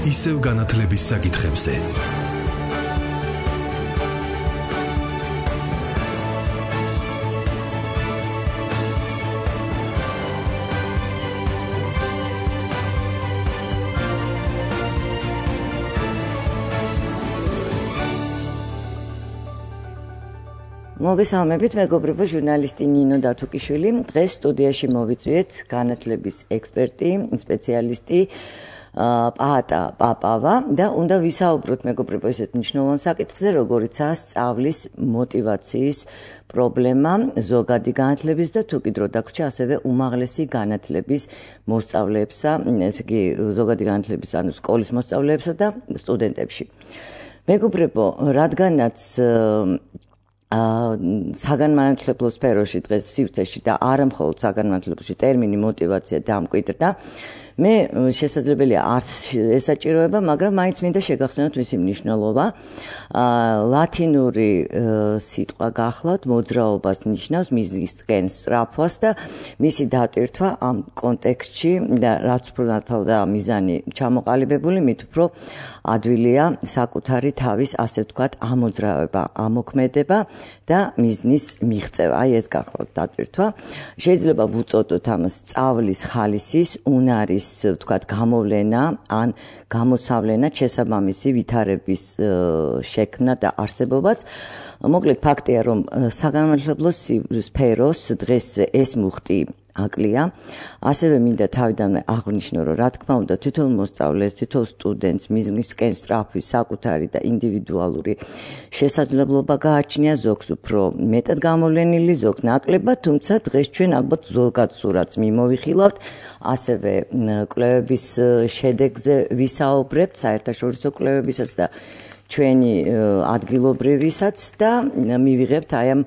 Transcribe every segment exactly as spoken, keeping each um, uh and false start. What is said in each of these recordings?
ისევ განათლების საკითხებზე. მოგესალმებით, მეგობრებო, ჟურნალისტი ნინო დათუკიშვილი. დღეს სტუდიაში მოვიწვიეთ განათლების ექსპერტი, სპეციალისტი პაატა პაპავა და უნდა ვისაუბროთ, მეგობრებო, ისეთ მნიშვნელოვან საკითხზე, როგორიცაა სწავლის მოტივაციის პრობლემა ზოგადი განათლების და თუ კი დრო დაგვრჩა, ასევე უმაღლესი განათლების მოსწავლეებსა, ესე იგი ზოგადი განათლების, ანუ სკოლის მოსწავლეებსა და სტუდენტებში. მეგობრებო, რადგანაც საგანმანათლებლო სფეროში დღეს სივრცეში და არა მხოლოდ საგანმანათლებლოში ტერმინი მოტივაცია დამკვიდრდა, მე შესაძლებელია არც ესაჭიროება, მაგრამ მაინც მინდა შეგახსენოთ მისი მნიშვნელობა. ლათინური სიტყვა გახლავთ მოძრაობას ნიშნავს, მისგან სწრაფვას და მისი დატვირთვა ამ კონტექსტში და რაც უფრო ნათლდა მიზანი ჩამოყალიბებული, მით უფრო ადვილია საკუთარი თავის, ასე ვთქვათ, ამოძრავება, ამოქმედება და მიზნის მიღწევა. აი ეს გახლავთ დატვირთვა. შეიძლება ვუწოდოთ ამას სწავლის ხალისის, უნარის ვთქვათ, გამოვლენა ან გამოსავლენა, შესაბამისი ვითარების შექმნა და არსებობაც. მოკლედ ფაქტია, რომ საგანმანათლებლო სფეროს დღეს ეს მუხტი აკლია. ასევე მინდა თავიდანვე აღვნიშნო, რომ რა თქმა უნდა თითოეულ მოსწავლეს, თითოეულ სტუდენტს მიზნისკენ სწრაფვის საკუთარი და ინდივიდუალური შესაძლებლობა გააჩნია, ზოგს უფრო მეტად გამოვლენილი, ზოგს ნაკლებად, თუმცა დღეს ჩვენ ალბათ ზოგად სურათს მიმოვიხილავთ, ასევე კვლევების შედეგზე ვისაუბრებთ, საერთაშორისო კვლევებისაც და ჩვენი ადგილობრივისაც და მივიღებთ აი ამ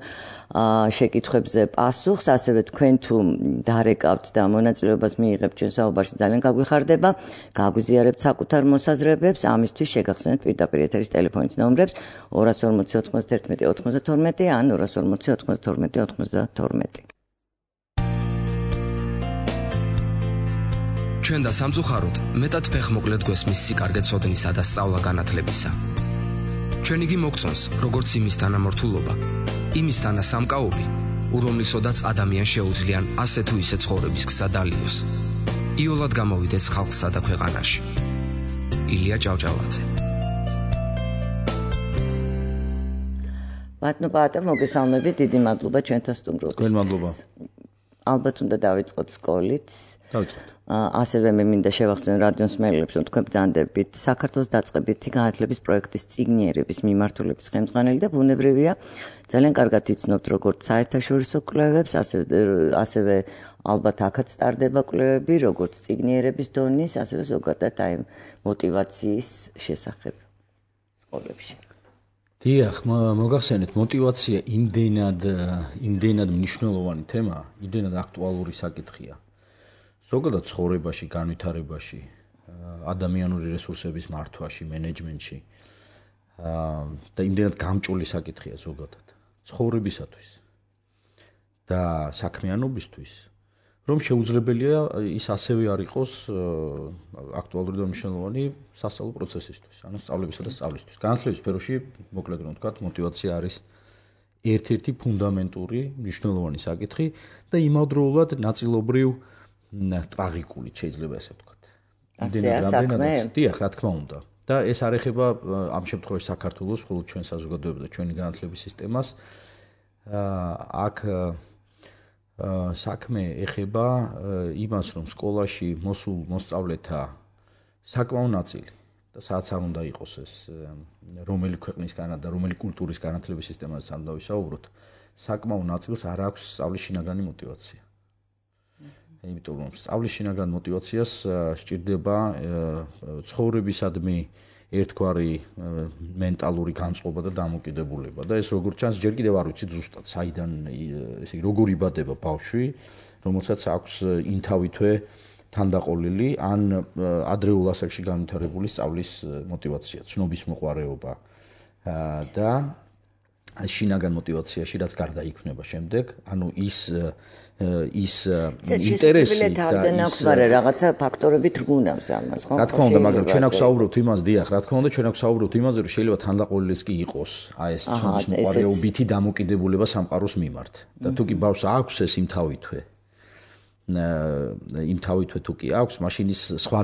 შეკითხვებზე პასუხს, ასევე თქვენ თუ დარეკავთ და მონაწილეობას მიიღებთ ჩვენ საუბარში, ძალიან გაგვიხარდება, გაგვიზიარებთ საკუთარ მოსაზრებებს, ამისთვის შეგახსენებთ პირდაპირ ეთერის ტელეფონის ნომრებს ორას ორმოცი ოთხმოცდაერთმეტი ოთხმოცდათორმეტი ან ორას ორმოცი ოთხმოცდათორმეტი ოთხმოცდათორმეტი. ჩვენ და სამწუხაროდ მეტად ფეხმოკლედ გვესმის სიკარგე ცოდნისა და სწავლა განათლებისა. ჩვენ იგი მოგწონს, როგორც იმის თანამორთულობა, იმის თანასამკაობი, რომლისოდაც ადამიანს შეუძლიან ასე თუ ისე ცხოვრების გზა დალიოს. იოლად გამოვიდეს ხალხსა და ქვეყანაში. ილია ჭავჭავაძე. ბატონო პაატა, მოგესალმებით, დიდი მადლობა ჩვენთან სტუმრობისთვის. თქვენ მადლობა. ალბათ უნდა დავიწყოთ სკოლით. დავიწყოთ. ასევე მე მინდა შევახსენო რადიოს მსმენელებს, რომ თქვენ ბრძანდებით საქართველოს დაწყებითი განათლების პროექტის წიგნიერების მიმართულების ხელმძღვანელი და ბუნებრივია, ძალიან კარგად იცნობთ როგორც საერთაშორისო კვლევებს, ასევე ასევე ალბათ აქაც სტარდება კვლევები, როგორც წიგნიერების დონის, ასევე ზოგადად აი მოტივაციის შესახებ სკოლებში. დიახ, მოგახსენეთ, მოტივაცია იმდენად იმდენად მნიშვნელოვანი თემა, იმდენად აქტუალური საკითხია. ზოგადად ცხოვრებაში, განვითარებაში, ადამიანური რესურსების მართვაში, მენეჯმენტში და იმდენად გამჭოლი საკითხია ზოგადად ცხოვრებისათვის და საქმიანობისთვის, რომ შეუძლებელია ის ასევე არ იყოს აქტუალური და მნიშვნელოვანი სასწავლო პროცესისთვის, ანუ სწავლებისა და სწავლისთვის. განათლების სფეროში, მოკლედ რომ ვთქვათ, მოტივაცია არის ერთ-ერთი ფუნდამენტური მნიშვნელოვანი საკითხი და იმავდროულად ნაწილობრივ ტრაგიკული, შეიძლება ესე ვთქვათ. ასეა საქმე? დიახ, რა თქმა უნდა. და ეს არ ეხება ამ შემთხვევაში საქართველოს, მხოლოდ ჩვენ საზოგადოებას და ჩვენი განათლების სისტემას. აქ საქმე ეხება იმას, რომ სკოლაში მოსულ მოსწავლეთა საკმაო ნაწილი და სადაც არ უნდა იყოს ეს რომელი ქვეყნის და რომელი კულტურის განათლების სისტემაზე არ დავისაუბროთ, საკმაო ნაწილს არ აქვს სწავლის შინაგანი მოტივაცია. იმიტომ რომ სწავლის შინაგან მოტივაციას სჭირდება ცხოვრებისადმი ერთგვარი მენტალური განწყობა და დამოკიდებულება და ეს როგორც ჩანს ჯერ კიდევ არ ვიცით ზუსტად საიდან ესე იგი როგორ იბადება ბავშვი, რომელსაც აქვს ინთავითვე თანდაყოლილი ან ადრეულ ასაკში განვითარებული სწავლის მოტივაცია, ცნობის მოყვარეობა და შინაგან мотиваციაში, რაც გარდა იქნება შემდეგ, ანუ ის ის ინტერესი და ის რაღაცა ფაქტორები თრგუნავს ამას, ხო? რა თქმა უნდა, მაგრამ ჩვენ აქვს საუბრობთ იმას, დიახ, რა თქმა უნდა, ჩვენ აქვს საუბრობთ იმაზე, რომ შეიძლება თანდაყოლილიც კი იყოს აი ეს ცნობის მოყარეობითი დამოკიდებულება სამყაროს მიმართ. და თუ კი ბავშვს აქვს ეს იმთავითვე იმ თავითვე თუ კი აქვს, მაშინ ის სხვა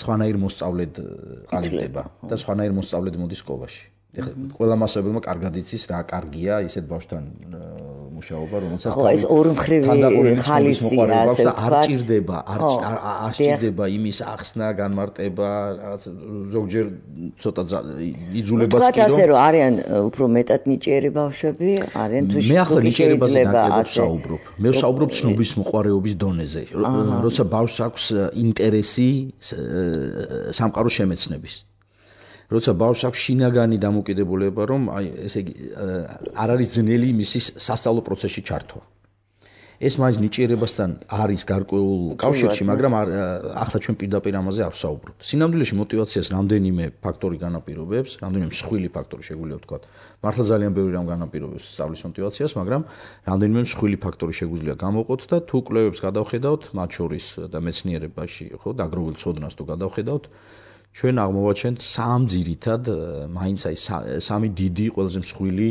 სხვანაირ მოსწავლედ ყალიბდება და სხვანაირ მოსწავლედ მოდის სკოლაში. ეხლა ყველა მასწავლებელმა კარგად იცის რა კარგია ისეთ ბავშვთან მუშაობა, რომელსაც ხო, ეს ორმხრივი ხალისია, ასე ვთქვათ, არ ჭირდება, არ ჭირდება იმის ახსნა, განმარტება, რაღაც ზოგჯერ ცოტა იძულებაც კი რომ ვთქვათ ასე რომ არიან უფრო მეტად ნიჭიერი ბავშვები, არიან თუ შეიძლება საუბრობ. მე ვსაუბრობ ცნობის მოყარეობის დონეზე. როცა ბავშვს აქვს ინტერესი სამყაროს შემეცნების. როცა ბავშვს აქვს შინაგანი დამოკიდებულება, რომ აი ესე იგი არ არის ძნელი მისი სასწავლო პროცესში ჩართვა. ეს მაინც ნიჭიერებასთან არის გარკვეულ კავშირში, მაგრამ ახლა ჩვენ პირდაპირ ამაზე არ ვსაუბრობთ. სინამდვილეში мотиваციას რამდენიმე ფაქტორი განაპირობებს, რამდენიმე მსხვილი ფაქტორი შეგვიძლია ვთქვათ. მართლა ძალიან ბევრი რამ განაპირობებს სწავლის мотиваციას, მაგრამ რამდენიმე მსხვილი ფაქტორი შეგვიძლია გამოვყოთ და თუ კვლევებს გადავხედავთ, მათ შორის და მეცნიერებაში, ხო, დაგროვილ ცოდნას თუ გადავხედავთ, ჩვენ აღმოვაჩენთ სამ ძირითად, მაინც აი სამი დიდი ყველაზე მსხვილი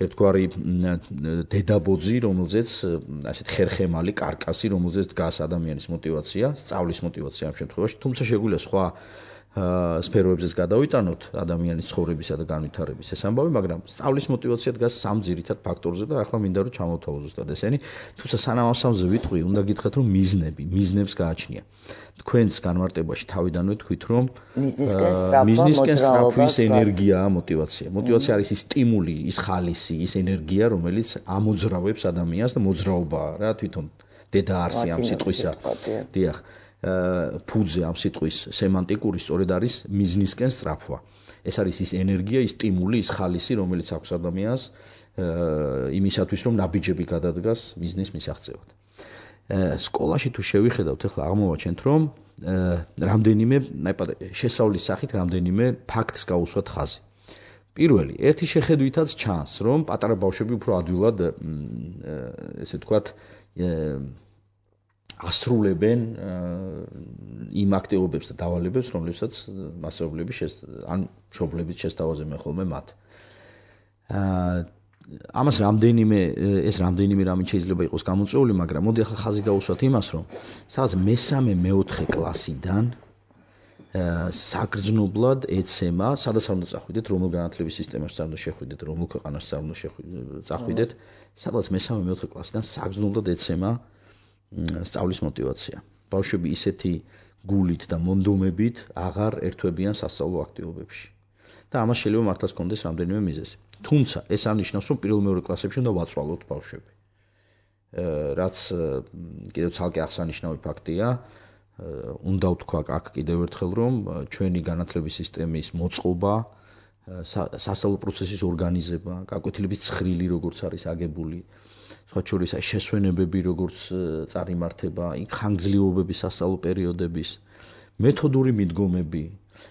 ერთგვარი დედაბოძი, რომელზეც ასეთ ხერხემალი კარკასი, რომელზეც დგას ადამიანის мотиваცია, სწავლის мотиваცია ამ შემთხვევაში, თუმცა შეგვიძლია სხვა სფეროებზეც გადავიტანოთ ადამიანის ცხოვრებისა და განვითარების ეს ამბავი, მაგრამ სწავლის мотиваცია დგას სამ ძირითად ფაქტორზე და ახლა მინდა რომ ჩამოვთავაზო ზუსტად ესენი, თუმცა სანამ ამ სამზე ვიტყვი, უნდა გითხრათ რომ მიზნები, მიზნებს გააჩნია. თქვენს განმარტებაში თავიდანვე თქვით რომ მიზნისკენ სწრაფვის ენერგიაა мотиваცია. мотиваცია არის ის სტიმული, ის ხალისი, ის ენერგია, რომელიც ამოძრავებს ადამიანს და მოძრაობაა რა თვითონ დედა არსი ამ სიტყვისა. დიახ. ფუძე ამ სიტყვის სემანტიკური სწორედ არის მიზნისკენ სწრაფვა. ეს არის ის ენერგია, ის სტიმული, ის ხალისი, რომელიც აქვს ადამიანს იმისათვის, რომ ნაბიჯები გადადგას მიზნის მისაღწევად. სკოლაში თუ შევიხედავთ, ახლა აღმოვაჩენთ, რომ რამდენიმე, შესავლის სახით რამდენიმე ფაქტს გაუსვათ ხაზი. პირველი, ერთი შეხედვითაც ჩანს, რომ პატარა ბავშვები უფრო ადვილად ესე ვთქვათ ასრულებენ იმ აქტივობებს და დავალებებს, რომლებსაც მასწავლებლები ან მშობლები შესთავაზებენ ხოლმე მათ. ამას რამდენიმე ეს რამდენიმე რამით შეიძლება იყოს გამოწვეული, მაგრამ მოდი ახლა ხაზი გავუსვათ იმას, რომ სადაც მესამე მეოთხე კლასიდან საგრძნობლად ეცემა, სადაც არ უნდა წახვიდეთ, რომელ განათლების სისტემაში არ უნდა შეხვიდეთ, რომელ ქვეყანაში არ უნდა წახვიდეთ, სადაც მესამე მეოთხე კლასიდან საგრძნობლად ეცემა სწავლის мотиваცია. ბავშვები ისეთი გულით და მონდომებით აღარ ერთვებიან სასწავლო აქტივობებში. და ამას შეიძლება მართლაც კონდეს რამდენიმე მიზეზი. თუმცა ეს არ ნიშნავს, რომ პირველ-მეორე კლასებში უნდა ვაწვალოთ ბავშვები. რაც კიდევ ცალკე აღსანიშნავი ფაქტია, უნდა ვთქვა აქ კიდევ ერთხელ, რომ ჩვენი განათლების სისტემის მოწყობა, სასწავლო პროცესის ორგანიზება, გაკვეთილების ცხრილი როგორც არის აგებული, სხვა შორის აი შესვენებები როგორც წარიმართება, იქ ხანგრძლივობები სასწავლო პერიოდების, მეთოდური მიდგომები,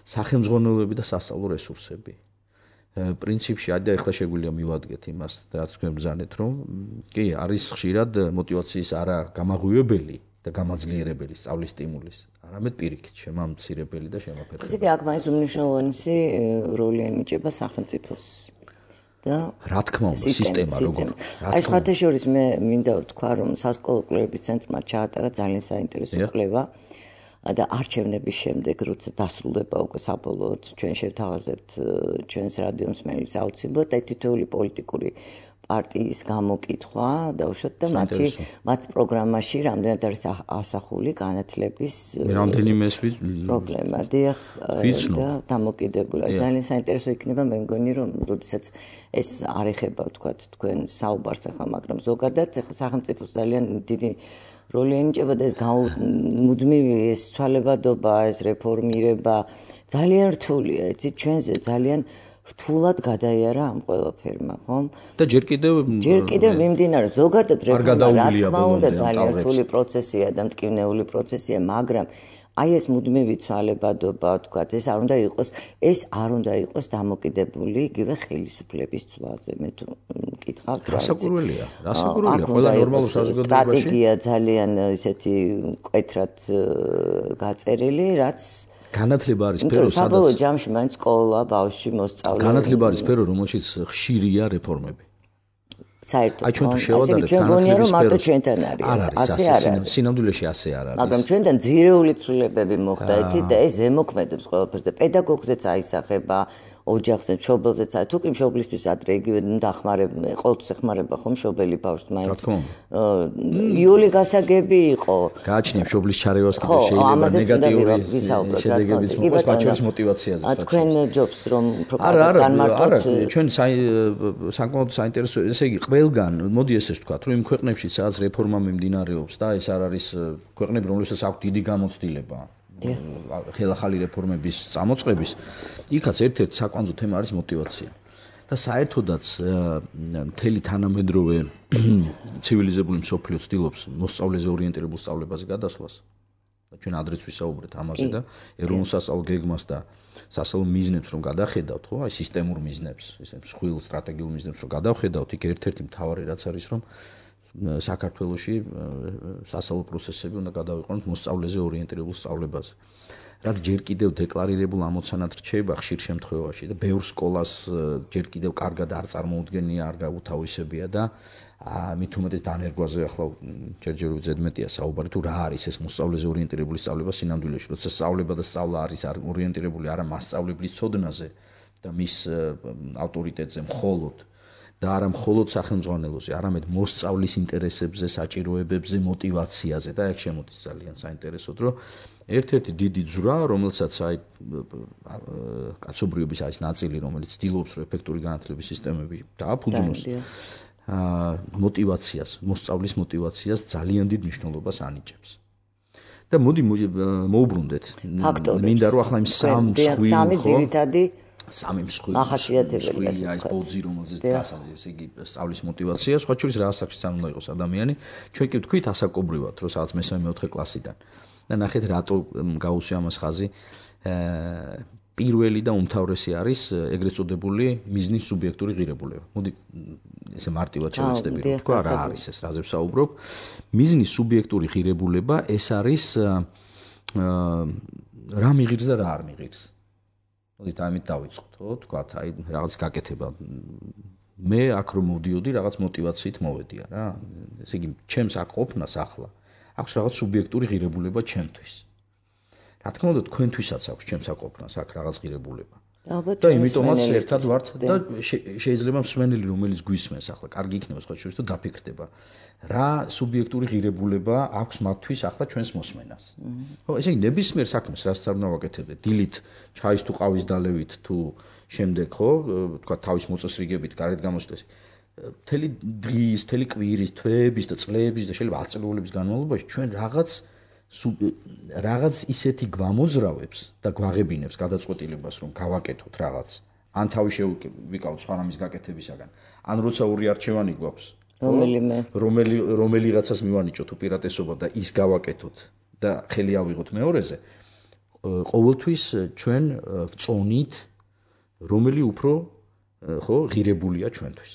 სახელმძღვანელოები და სასწავლო რესურსები. პრინციპში აი და ახლა შეგვიძლია მივადგეთ იმას, რაც თქვენ ბრძანეთ, რომ კი არის ხშირად мотиваციის არა გამაღვივებელი და გამაძლიერებელი სწავლის სტიმულის, არამედ პირიქით შემამცირებელი და შემაფერხებელი. ესე იგი აქ მაინც უმნიშვნელოვანესი როლი ენიჭება სახელმწიფოს. და რა თქმა უნდა სისტემა როგორ აი სხვათა შორის მე მინდა ვთქვა რომ სასკოლო კვლევების ცენტრმა ჩაატარა ძალიან საინტერესო კვლევა და არჩევნების შემდეგ როცა დასრულდება უკვე საბოლოოდ ჩვენ შევთავაზებთ ჩვენს რადიო მსმენელს აუცილებლად და თითოეული პოლიტიკური პარტიის გამოკითხვა დაუშვათ და მათი მათ პროგრამაში რამდენად არის ასახული განათლების რამდენიმე პრობლემა დიახ და დამოკიდებულა ძალიან საინტერესო იქნება მე მგონი რომ როდესაც ეს არ ეხება ვთქვათ თქვენ საუბარს ახლა მაგრამ ზოგადად ახლა სახელმწიფოს ძალიან დიდი როლი ენიჭება და ეს მუდმივი ეს ცვალებადობა ეს რეფორმირება ძალიან რთულია იცით ჩვენზე ძალიან რთულად გადაიარა ამ ყველაფერმა, ხო? და ჯერ კიდევ ჯერ კიდევ მიმდინარე ზოგადად რეფორმა რა თქმა უნდა ძალიან რთული პროცესია და მტკივნეული პროცესია, მაგრამ აი ეს მუდმივი ცვალებადობა, თქვათ, ეს არ უნდა იყოს, ეს არ უნდა იყოს დამოკიდებული იგივე ხელისუფლების ცვლაზე. მე თუ მკითხავთ რა. რასაკურველია, რასაკურველია, ყველა ნორმალურ საზოგადოებაში. სტრატეგია ძალიან ისეთი მკვეთრად გაწერილი, რაც განათლება არის სფერო, სადაც საბოლოო ჯამში მაინც სკოლა, ბავშვი, მოსწავლე. განათლება არის სფერო, რომელშიც ხშირია რეფორმები. საერთოდ. აი ჩვენ თუ შევადარებთ განათლების სფეროს, მარტო ჩვენთან არის, ასე არ არის. სინამდვილეში ასე არ არის. მაგრამ ჩვენთან ძირეული ცვლილებები მოხდა, იცით და ეს ემოქმედებს ყველაფერს და პედაგოგზეც აისახება, ოჯახზე, მშობელზეც, თუ კი მშობლისთვის ადრე იგივე დახმარება, ყოველთვის ეხმარება ხომ მშობელი ბავშვს მაინც. იული გასაგები იყო. გააჩნია მშობლის ჩარევას კიდე შეიძლება ნეგატიური შედეგებიც მოყოს ბავშვის მოტივაციაზე. თქვენ ჯობს რომ განმარტოთ. არა, ჩვენ საკმაოდ საინტერესო, ესე იგი ყველგან, მოდი ესე ვთქვა, რომ იმ ქვეყნებში სადაც რეფორმა მიმდინარეობს და ეს არ არის ქვეყნები, რომლებსაც აქვს დიდი გამოცდილება. ხელახალი რეფორმების წამოწყების, იქაც ერთ-ერთი საკვანძო თემა არის მოტივაცია. და საერთოდაც მთელი თანამედროვე ცივილიზებული მსოფლიო ცდილობს მოსწავლეზე ორიენტირებულ სწავლებაზე გადასვლას. და ჩვენ ადრეც ვისაუბრეთ ამაზე და ეროვნულ სასწავლო გეგმას და სასწავლო მიზნებს რომ გადახედავთ, ხო, აი სისტემურ მიზნებს, ესე მსხვილ სტრატეგიულ მიზნებს რომ გადახედავთ, იქ ერთ-ერთი მთავარი რაც არის რომ საქართველოში სასწავლო პროცესები უნდა გადავიყვანოთ მოსწავლეზე ორიენტირებულ სწავლებაზე. რაც ჯერ კიდევ დეკლარირებულ ამოცანად რჩება ხშირ შემთხვევაში და ბევრ სკოლას ჯერ კიდევ კარგად არ წარმოუდგენია, არ გაუთავისებია და მით უმეტეს დანერგვაზე ახლა ჯერჯერობით ზედმეტია საუბარი თუ რა არის ეს მოსწავლეზე ორიენტირებული სწავლება სინამდვილეში, როცა სწავლება და სწავლა არის ორიენტირებული არა მასწავლებლის ცოდნაზე და მის ავტორიტეტზე მხოლოდ და არა მხოლოდ სახელმძღვანელოზე, არამედ მოსწავლის ინტერესებზე, საჭიროებებზე, მოტივაციაზე და ეგ შემოდის ძალიან საინტერესოდ, რომ ერთ-ერთი დიდი ძვრა, რომელსაც აი კაცობრიობის არის ნაწილი, რომელიც ცდილობს, რომ ეფექტური განათლების სისტემები დააფუძნოს, მოტივაციას, მოსწავლის მოტივაციას ძალიან დიდ მნიშვნელობას ანიჭებს. და მოდი მოუბრუნდეთ. მინდა რომ ახლა იმ სამ მსხვილი სამი ძირითადი სამი მსხვილი ახასიათებელი ეს ბოძი რომელზეც დასაძ ესე იგი სწავლის მოტივაცია სხვა შორის რა საქმეც არ უნდა იყოს ადამიანი ჩვენ კი ვთქვით ასაკობრივად რომ სადაც მესამე მეოთხე კლასიდან და ნახეთ რატო გაუსვია ამას ხაზი პირველი და უმთავრესი არის ეგრეთ წოდებული მიზნის სუბიექტური ღირებულება. მოდი ესე მარტივად შევეცდები რომ თქვა რა არის ეს რაზე ვსაუბრობ. მიზნის სუბიექტური ღირებულება ეს არის რა მიღირს და რა არ მიღირს. მოდით ამით დავიწყოთ, ხო? თქვათ, აი რაღაც გაკეთება. მე აქ რომ მოვდიოდი, რაღაც მოტივაციით მოვედია რა. ესე იგი, ჩემს აქ ყოფნას ახლა აქვს რაღაც სუბიექტური ღირებულება ჩემთვის. რა თქმა უნდა, თქვენთვისაც აქვს ჩემს აქ ყოფნას აქ რაღაც ღირებულება. და იმიტომაც ერთად ვართ და შეიძლება მსმენელი რომელიც გვისმენს ახლა, კარგი იქნება სხვა შორის თუ დაფიქრდება. რა სუბიექტური ღირებულება აქვს მათთვის ახლა ჩვენს მოსმენას. ხო, ესე იგი ნებისმიერ საქმეს რაც არ უნდა ვაკეთებდეთ, დილით ჩაის თუ ყავის დალევით თუ შემდეგ, ხო, თქვა თავის მოწესრიგებით გარეთ გამოსვლას. მთელი დღის, მთელი კვირის, თვეების და წლების და შეიძლება ათწლეულების განმავლობაში ჩვენ რაღაც რაღაც ისეთი გვამოძრავებს და გვაღებინებს გადაწყვეტილებას რომ გავაკეთოთ რაღაც. ან თავი შევიკავოთ სხვა რამის გაკეთებისაგან. ან როცა ორი არჩევანი გვაქვს რომელიმე რომელი რომელიღაცას მივანიჭოთ უპირატესობა და ის გავაკეთოთ და ხელი ავიღოთ მეორეზე ყოველთვის ჩვენ ვწონით რომელი უფრო ხო ღირებულია ჩვენთვის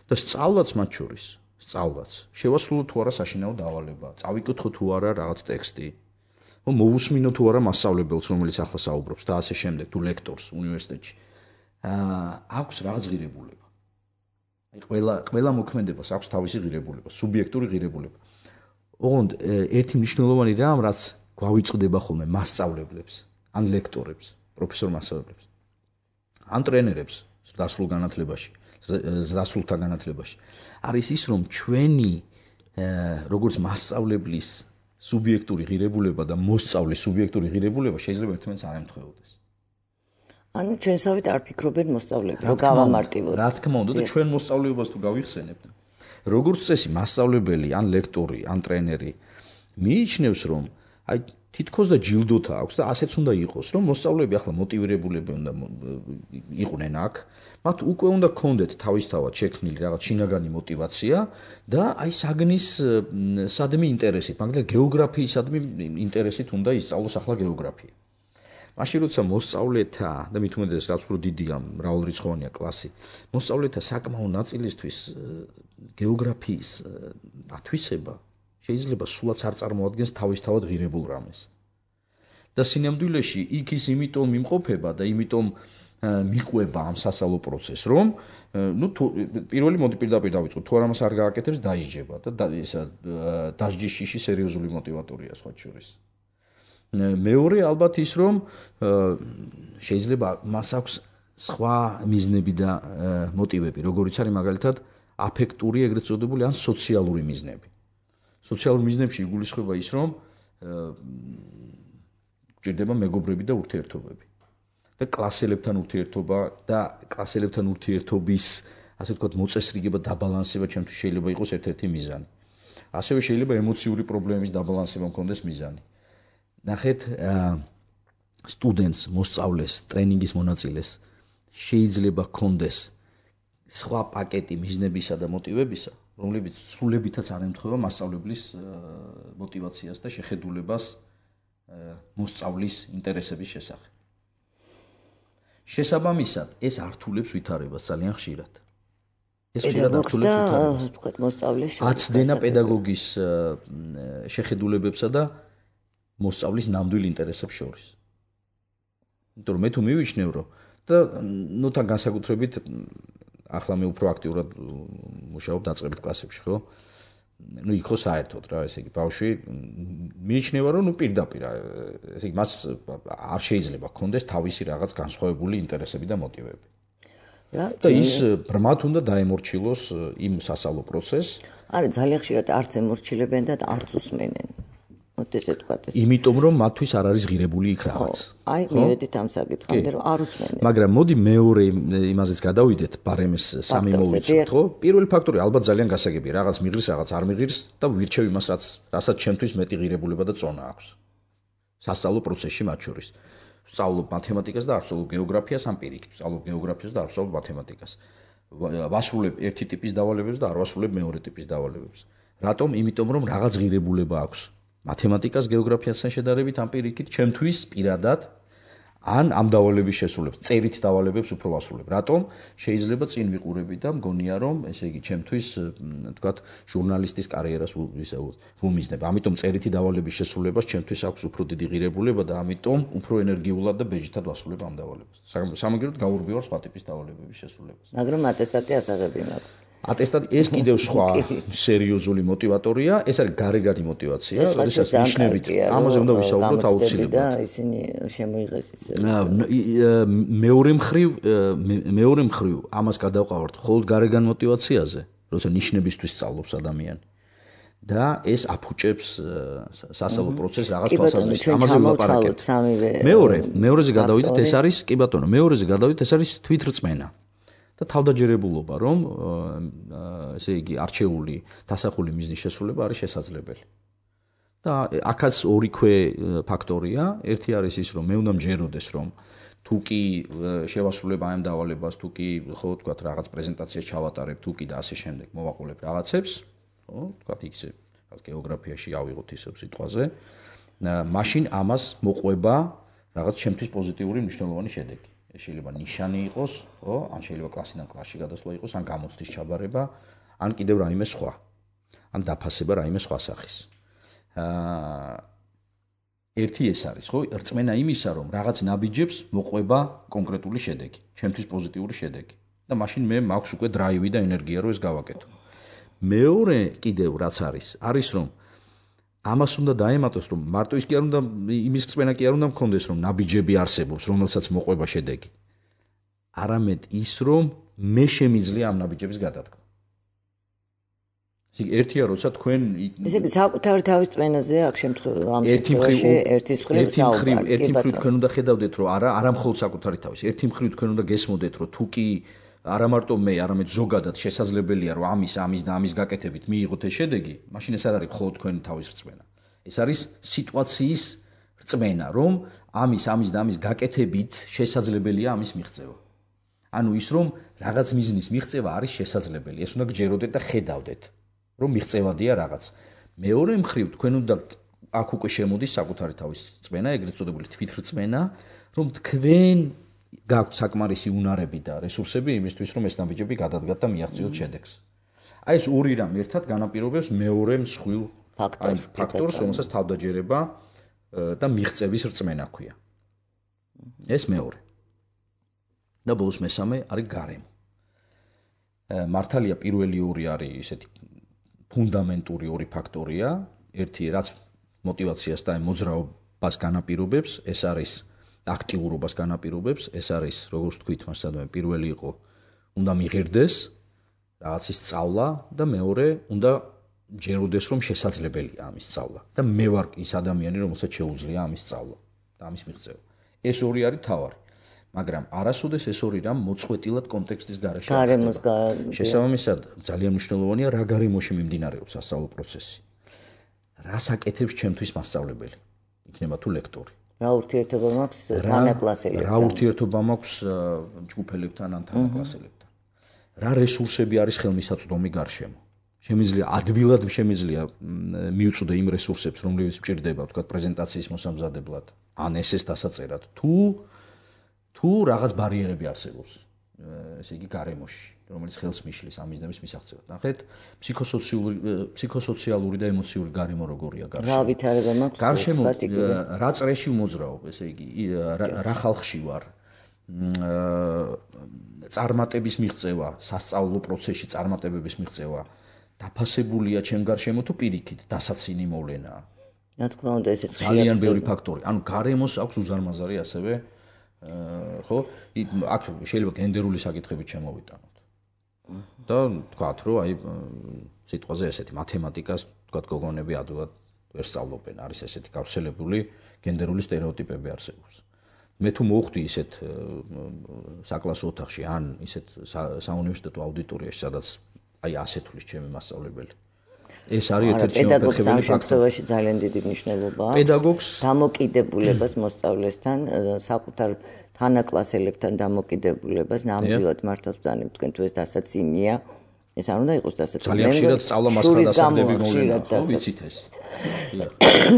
და სწავლაც მათ შორის სწავლაც შევასრულოთ თუ არა საშინაო დავალება წავიკითხოთ თუ არა რაღაც ტექსტი ხო მოვუსმინოთ თუ არა მასწავლებელს რომელიც ახლა საუბრობს და ასე შემდეგ თუ ლექტორს უნივერსიტეტში აქვს რაღაც ღირებულება აი ყველა ყველა მოქმედებას აქვს თავისი ღირებულება, სუბიექტური ღირებულება. ოღონდ ერთი მნიშვნელოვანი რამ, რაც გვავიწყდება ხოლმე მასწავლებლებს, ან ლექტორებს, პროფესორ მასწავლებლებს, ან ტრენერებს დასრულ განათლებაში, დასრულთა განათლებაში. არის ის, რომ ჩვენი როგორც მასწავლებლის სუბიექტური ღირებულება და მოსწავლის სუბიექტური ღირებულება შეიძლება ერთმანეთს არ ემთხვეოდეს. ანუ ჩვენსავით არ ფიქრობენ მოსწავლეები, რომ გავამარტივოთ. რა თქმა უნდა, და ჩვენ მოსწავლეობას თუ გავიხსენებთ. როგორც წესი, მასწავლებელი, ან ლექტორი, ან ტრენერი მიიჩნევს, რომ აი თითქოს და ჯილდოთა აქვს და ასეც უნდა იყოს, რომ მოსწავლეები ახლა მოტივირებულები უნდა იყვნენ აქ. მათ უკვე უნდა გქონდეთ თავისთავად შექმნილი რაღაც შინაგანი მოტივაცია და აი საგნის სადმი ინტერესით, მაგალითად გეოგრაფიისადმი ინტერესით უნდა ისწავლოს ახლა გეოგრაფია. მაშინ როცა მოსწავლეთა და მით უმეტეს რაც უფრო დიდია, მრავალრიცხოვანია კლასი, მოსწავლეთა საკმაო ნაწილისთვის გეოგრაფიის ათვისება შეიძლება სულაც არ წარმოადგენს თავისთავად ღირებულ რამეს. და სინამდვილეში იქ ის იმიტომ იმყოფება და იმიტომ მიყვება ამ სასწავლო პროცესს, რომ ნუ პირველი მოდი პირდაპირ დავიწყოთ, თუ არ ამას არ გააკეთებს, დაიჯება და ისა დასჯის შიში სერიოზული მოტივატორია სხვა შორის. მეორე ალბათ ის, რომ შეიძლება მას აქვს სხვა მიზნები და მოტივები, როგორიც არის მაგალითად აფექტური, ეგრეთ წოდებული, ან სოციალური მიზნები. სოციალურ მიზნებში იგულისხმება ის, რომ გჭირდება მეგობრები და ურთიერთობები. და კლასელებთან ურთიერთობა და კლასელებთან ურთიერთობის, ასე ვთქვათ, მოწესრიგება, დაბალანსება ჩემთვის შეიძლება იყოს ერთ-ერთი მიზანი. ასევე შეიძლება ემოციური პრობლემების დაბალანსება მქონდეს მიზანი. ნახეთ, სტუდენტს, მოსწავლეს, ტრენინგის მონაწილეს შეიძლება ჰქონდეს სხვა პაკეტი მიზნებისა და მოტივებისა, რომლებიც სრულებითაც არ ემთხვევა მასწავლებლის მოტივაციას და შეხედულებას მოსწავლის ინტერესების შესახებ. შესაბამისად, ეს ართულებს ვითარებას ძალიან ხშირად. ეს ხშირად ართულებს ვითარებას. მოსწავლის აცდენა პედაგოგის შეხედულებებსა და მოსწავლის ნამდვილ ინტერესებს შორის. იმიტომ რომ მე თუ მივიჩნევ, რომ და ნუ თან განსაკუთრებით ახლა მე უფრო აქტიურად მუშაობ დაწყებით კლასებში, ხო? ნუ იქ ხო საერთოდ რა, ესე იგი ბავშვი მიიჩნევა, რომ ნუ პირდაპირ, ესე იგი მას არ შეიძლება ჰქონდეს თავისი რაღაც განსხვავებული ინტერესები და მოტივები. და ის ბრმად უნდა დაემორჩილოს იმ სასწავლო პროცესს. არის ძალიან ხშირად არც ემორჩილებენ და არც უსმენენ. ესე ვთქვათ ეს. იმიტომ რომ მათთვის არ არის ღირებული იქ რაღაც. აი, მივედით ამ საკითხამდე, რომ არ უსმენენ. მაგრამ მოდი მეორე იმაზეც გადავიდეთ, ბარემის სამი მოვიცოთ, ხო? პირველი ფაქტორი ალბათ ძალიან გასაგებია, რაღაც მიღირს, რაღაც არ მიღირს და ვირჩევ იმას, რაც რასაც ჩემთვის მეტი ღირებულება და წონა აქვს. სასწავლო პროცესში მათ შორის. ვსწავლობ მათემატიკას და არ ვსწავლობ გეოგრაფიას, ამ პირიქით, ვსწავლობ გეოგრაფიას და არ ვსწავლობ მათემატიკას. ვასრულებ ერთი ტიპის დავალებებს და არ ვასრულებ მეორე ტიპის დავალებებს. რატომ? იმიტომ რომ რაღაც ღირებულება აქვს. მათემატიკას, გეოგრაფიასთან შედარებით ამ პირიქით ჩემთვის პირადად ან ამ დავალების შესრულებს, წერით დავალებებს უფრო ვასრულებ. რატომ? შეიძლება წინ ვიყურები და მგონია რომ, ესე იგი, ჩემთვის, თქვათ, ჟურნალისტის კარიერას ისე ვუმიზნებ. ამიტომ წერითი დავალების შესრულებას ჩემთვის აქვს უფრო დიდი ღირებულება და ამიტომ უფრო ენერგიულად და ბეჯითად ვასრულებ ამ დავალებას. სამაგიეროდ გაურბივარ სხვა ტიპის დავალებების შესრულებას. მაგრამ ატესტატი ასაღები მაქვს. ატესტატი ეს კიდევ სხვა სერიოზული მოტივატორია, ეს არის გარეგანი მოტივაცია, როდესაც ნიშნებით ამაზე უნდა ვისაუბროთ აუცილებლად. და ისინი შემოიღეს ისე. მეორე მხრივ, მეორე მხრივ ამას გადავყავართ მხოლოდ გარეგან მოტივაციაზე, როცა ნიშნებისთვის სწავლობს ადამიანი. და ეს აფუჭებს სასწავლო პროცესს რაღაც თვალსაზრისით. ამაზე ვლაპარაკებთ. მეორე, მეორეზე გადავიდეთ, ეს არის, კი ბატონო, მეორეზე გადავიდეთ, ეს არის თვითრწმენა. და თავდაჯერებულობა, რომ ესე იგი არჩეული დასახული მიზნის შესრულება არის შესაძლებელი. და აქაც ორი ქვე ფაქტორია, ერთი არის ის, რომ მე უნდა მჯეროდეს, რომ თუ კი შევასრულებ ამ დავალებას, თუ კი ხო ვთქვათ რაღაც პრეზენტაციას ჩავატარებ, თუ კი და ასე შემდეგ მოვაყოლებ რაღაცებს, ხო, ვთქვათ იქზე, რაღაც გეოგრაფიაში ავიღოთ ისევ სიტყვაზე, მაშინ ამას მოყვება რაღაც ჩემთვის პოზიტიური მნიშვნელოვანი შედეგი. შეიძლება ნიშანი იყოს, ხო, ან შეიძლება კლასიდან კლასში გადასვლა იყოს, ან გამოცდის ჩაბარება, ან კიდევ რაიმე სხვა. ან დაფასება რაიმე სხვა სახის. აა ერთი ეს არის, ხო, რწმენა იმისა, რომ რაღაც ნაბიჯებს მოყვება კონკრეტული შედეგი, ჩემთვის პოზიტიური შედეგი. და მაშინ მე მაქვს უკვე დრაივი და ენერგია, რომ ეს გავაკეთო. მეორე კიდევ რაც არის, არის რომ ამას უნდა დაემატოს, რომ მარტო ის კი არ უნდა იმის რწმენა კი არ უნდა მქონდეს, რომ ნაბიჯები არსებობს, რომელსაც მოყვება შედეგი. არამედ ის, რომ მე შემიძლია ამ ნაბიჯების გადადგმა. ისე ერთია, როცა თქვენ ესე იგი საკუთარი თავის რწმენაზე აქ შემთხვევაში ამ შემთხვევაში ერთის მხრივ საუბარი. ერთი მხრივ თქვენ უნდა ხედავდეთ, რომ არა, არა მხოლოდ საკუთარი თავის. ერთი მხრივ თქვენ უნდა გესმოდეთ, რომ თუ კი არა მარტო მე, არამედ ზოგადად შესაძლებელია, რომ ამის, ამის და ამის გაკეთებით მიიღოთ ეს შედეგი, მაშინ ეს არ არის მხოლოდ თქვენი თავის რწმენა. ეს არის სიტუაციის რწმენა, რომ ამის ამის და ამის გაკეთებით შესაძლებელია ამის მიღწევა. ანუ ის რომ რაღაც მიზნის მიღწევა არის შესაძლებელი, ეს უნდა გჯეროდეთ და ხედავდეთ, რომ მიღწევადია რაღაც. მეორე მხრივ თქვენ უნდა აქ უკვე შემოდის საკუთარი თავის რწმენა, ეგრეთ წოდებული თვითრწმენა, რომ თქვენ გაქვთ საკმარისი უნარები და რესურსები იმისთვის, რომ ეს ნაბიჯები გადადგათ და მიაღწიოთ შედეგს. აი ეს ორი რამ ერთად განაპირობებს მეორე მსხვილ ფაქტორს, რომელსაც თავდაჯერება და მიღწევის რწმენა ქვია. ეს მეორე. და ბოლოს მესამე არის გარემო. მართალია პირველი ორი არის ესეთი ფუნდამენტური ორი ფაქტორია, ერთი რაც мотивაციას და მოძრაობას განაპირობებს, ეს არის აქტიურობას განაპირობებს, ეს არის როგორც თქვით, მასადამე პირველი იყო უნდა მიღერდეს რაღაცის სწავლა და მეორე უნდა ჯეროდეს რომ შესაძლებელია ამის სწავლა და მე ვარ ის ადამიანი რომელსაც შეუძლია ამის სწავლა და ამის მიღწევა. ეს ორი არის თავარი. მაგრამ არასოდეს ეს ორი რამ მოწყვეტილად კონტექსტის გარეშე ხდება. შესაბამისად, ძალიან მნიშვნელოვანია რა გარემოში მიმდინარეობს სასწავლო პროცესი. რას აკეთებს ჩემთვის მასწავლებელი? იქნება თუ ლექტორი. რა ურთიერთობა მაქვს თანაკლასელებთან? რა ურთიერთობა მაქვს ჯგუფელებთან ან თანაკლასელებთან? რა რესურსები არის ხელმისაწვდომი გარშემო? შემიძლია ადვილად შემიძლია მიუწვდე იმ რესურსებს, რომლებიც მჭირდება, თქვა პრეზენტაციის მოსამზადებლად, ან ესეს დასაწერად, თუ თუ რაღაც ბარიერები არსებობს, ესე იგი გარემოში, რომელიც ხელს მიშლის ამის და მის მისაღწევად. ნახეთ, ფსიქოსოციალური ფსიქოსოციალური და ემოციური გარემო როგორია გარშემო. რა ვითარება მაქვს? გარშემო რა წრეში მოძრაობ, ესე იგი, რა ხალხში ვარ? წარმატების მიღწევა, სასწავლო პროცესში წარმატებების მიღწევა დაფასებულია ჩემ გარშემო თუ პირიქით, დასაცინი მოვლენაა. რა თქმა უნდა, ესეც ძალიან ბევრი ფაქტორი. ანუ გარემოს აქვს უზარმაზარი ასევე ხო, აქ შეიძლება გენდერული საკითხებით შემოვიტანოთ. და თქვათ, რომ აი სიტყვაზე ესეთი მათემატიკას, თქვათ, გოგონები ადვილად ვერ სწავლობენ, არის ესეთი გავრცელებული გენდერული სტერეოტიპები არსებობს. მე თუ მოვხვდი ისეთ საკლასო ოთახში ან ისეთ საუნივერსიტეტო აუდიტორიაში, სადაც აი ასე თulis ჩემი მასწავლებელი. ეს არის ერთ-ერთი პედაგოგის შემთხვევაში ძალიან დიდი მნიშვნელობა აქვს. პედაგოგს დამოკიდებულებას მოსწავლესთან, საკუთარ თანაკლასელებთან დამოკიდებულებას, ნამდვილად მართავს ბრძანებ თქვენ თუ ეს დასაცინია. ეს არ უნდა იყოს დასაცინი. ძალიან ხშირად სწავლა მასხმა დასაწყდები მოვლენა, ხო, ვიცით ეს.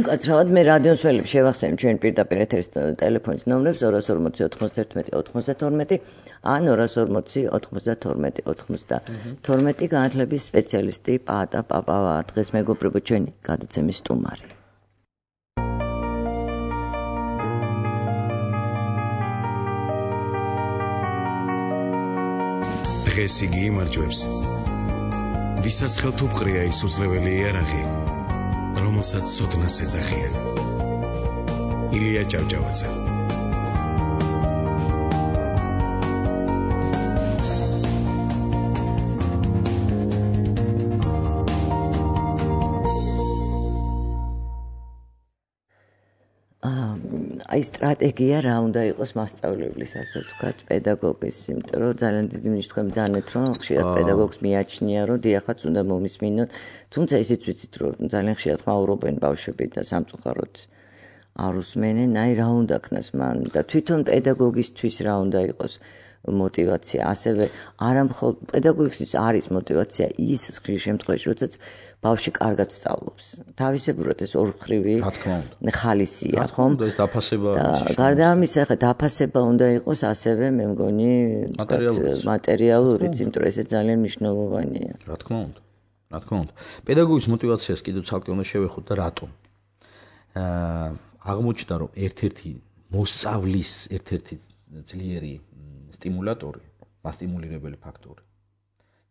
კაცრავად მე რადიოს ველებს შევახსენებ ჩვენ პირდაპირ ეთერის ტელეფონის ნომრებს ორას ორმოცი ოთხმოცდაერთმეტი ოთხმოცდათორმეტი ან ორას ორმოცი ოთხმოცდათორმეტი ოთხმოცდათორმეტი განათლების სპეციალისტი პაატა პაპავა დღეს მეგობრებო ჩვენი გადაცემის სტუმარი. დღეს იგი იმარჯვებს ვისაც ხელთუპყრია ის უძლეველი იარაღი რომელსაც ცოდნას ეძახიან. ილია ჭავჭავაძე. აი სტრატეგია რა უნდა იყოს მასწავლებლის, ასე ვთქვათ, პედაგოგის, იმიტომ რომ ძალიან დიდი ნიშნით თქვენ ბრძანეთ, რომ ხშირად პედაგოგს მიაჩნია, რომ დიახაც უნდა მომისმინონ, თუმცა ისიც ვიცით, რომ ძალიან ხშირად ხმაურობენ ბავშვები და სამწუხაროდ არ უსმენენ, აი რა უნდა ქნას მან და თვითონ პედაგოგისთვის რა უნდა იყოს мотивация, ასევე არა მხოლოდ პედაგოგისთვის არის мотивация ის ხშირ შემთხვევაში, როდესაც ბავშვი კარგად სწავლობს. თავისებურად ეს ორმხრივი ხალისია, ხო? და ეს დაფასება გარდა ამისა, ხა დაფასება უნდა იყოს ასევე, მე მგონი, მატერიალურიც, იმიტომ რომ ეს ძალიან მნიშვნელოვანია. რა თქმა უნდა. რა თქმა უნდა. პედაგოგის мотивациას კიდევ ცალკე უნდა შევეხოთ და რატომ? აა აღმოჩნდა, რომ ერთ-ერთი მოსწავლის ერთ-ერთი ძლიერი სტიმულატორი, მასტიმულირებელი ფაქტორი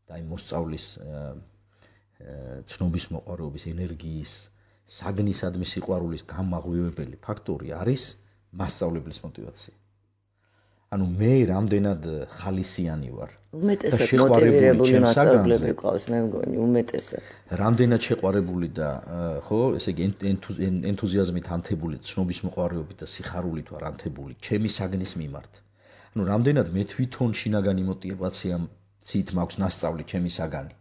და აი მოსწავლის ცნობის მოყვარეობის, ენერგიის, საგნისადმი სიყვარულის გამაღვივებელი ფაქტორი არის მასწავლებლის мотивация. ანუ მე რამდენად ხალისიანი ვარ. უმეტესად მოტივირებული მასწავლებლები ყავს, მე მგონი, უმეტესად. რამდენად შეყვარებული და ხო, ესე იგი ენთუზიაზმით ანთებული, ცნობის მოყვარეობით და სიხარულით ვარ ანთებული ჩემი საგნის მიმართ. ანუ რამდენად მე თვითონ შინაგანი мотивაციით მაქვს ნასწავლი ჩემი საგანი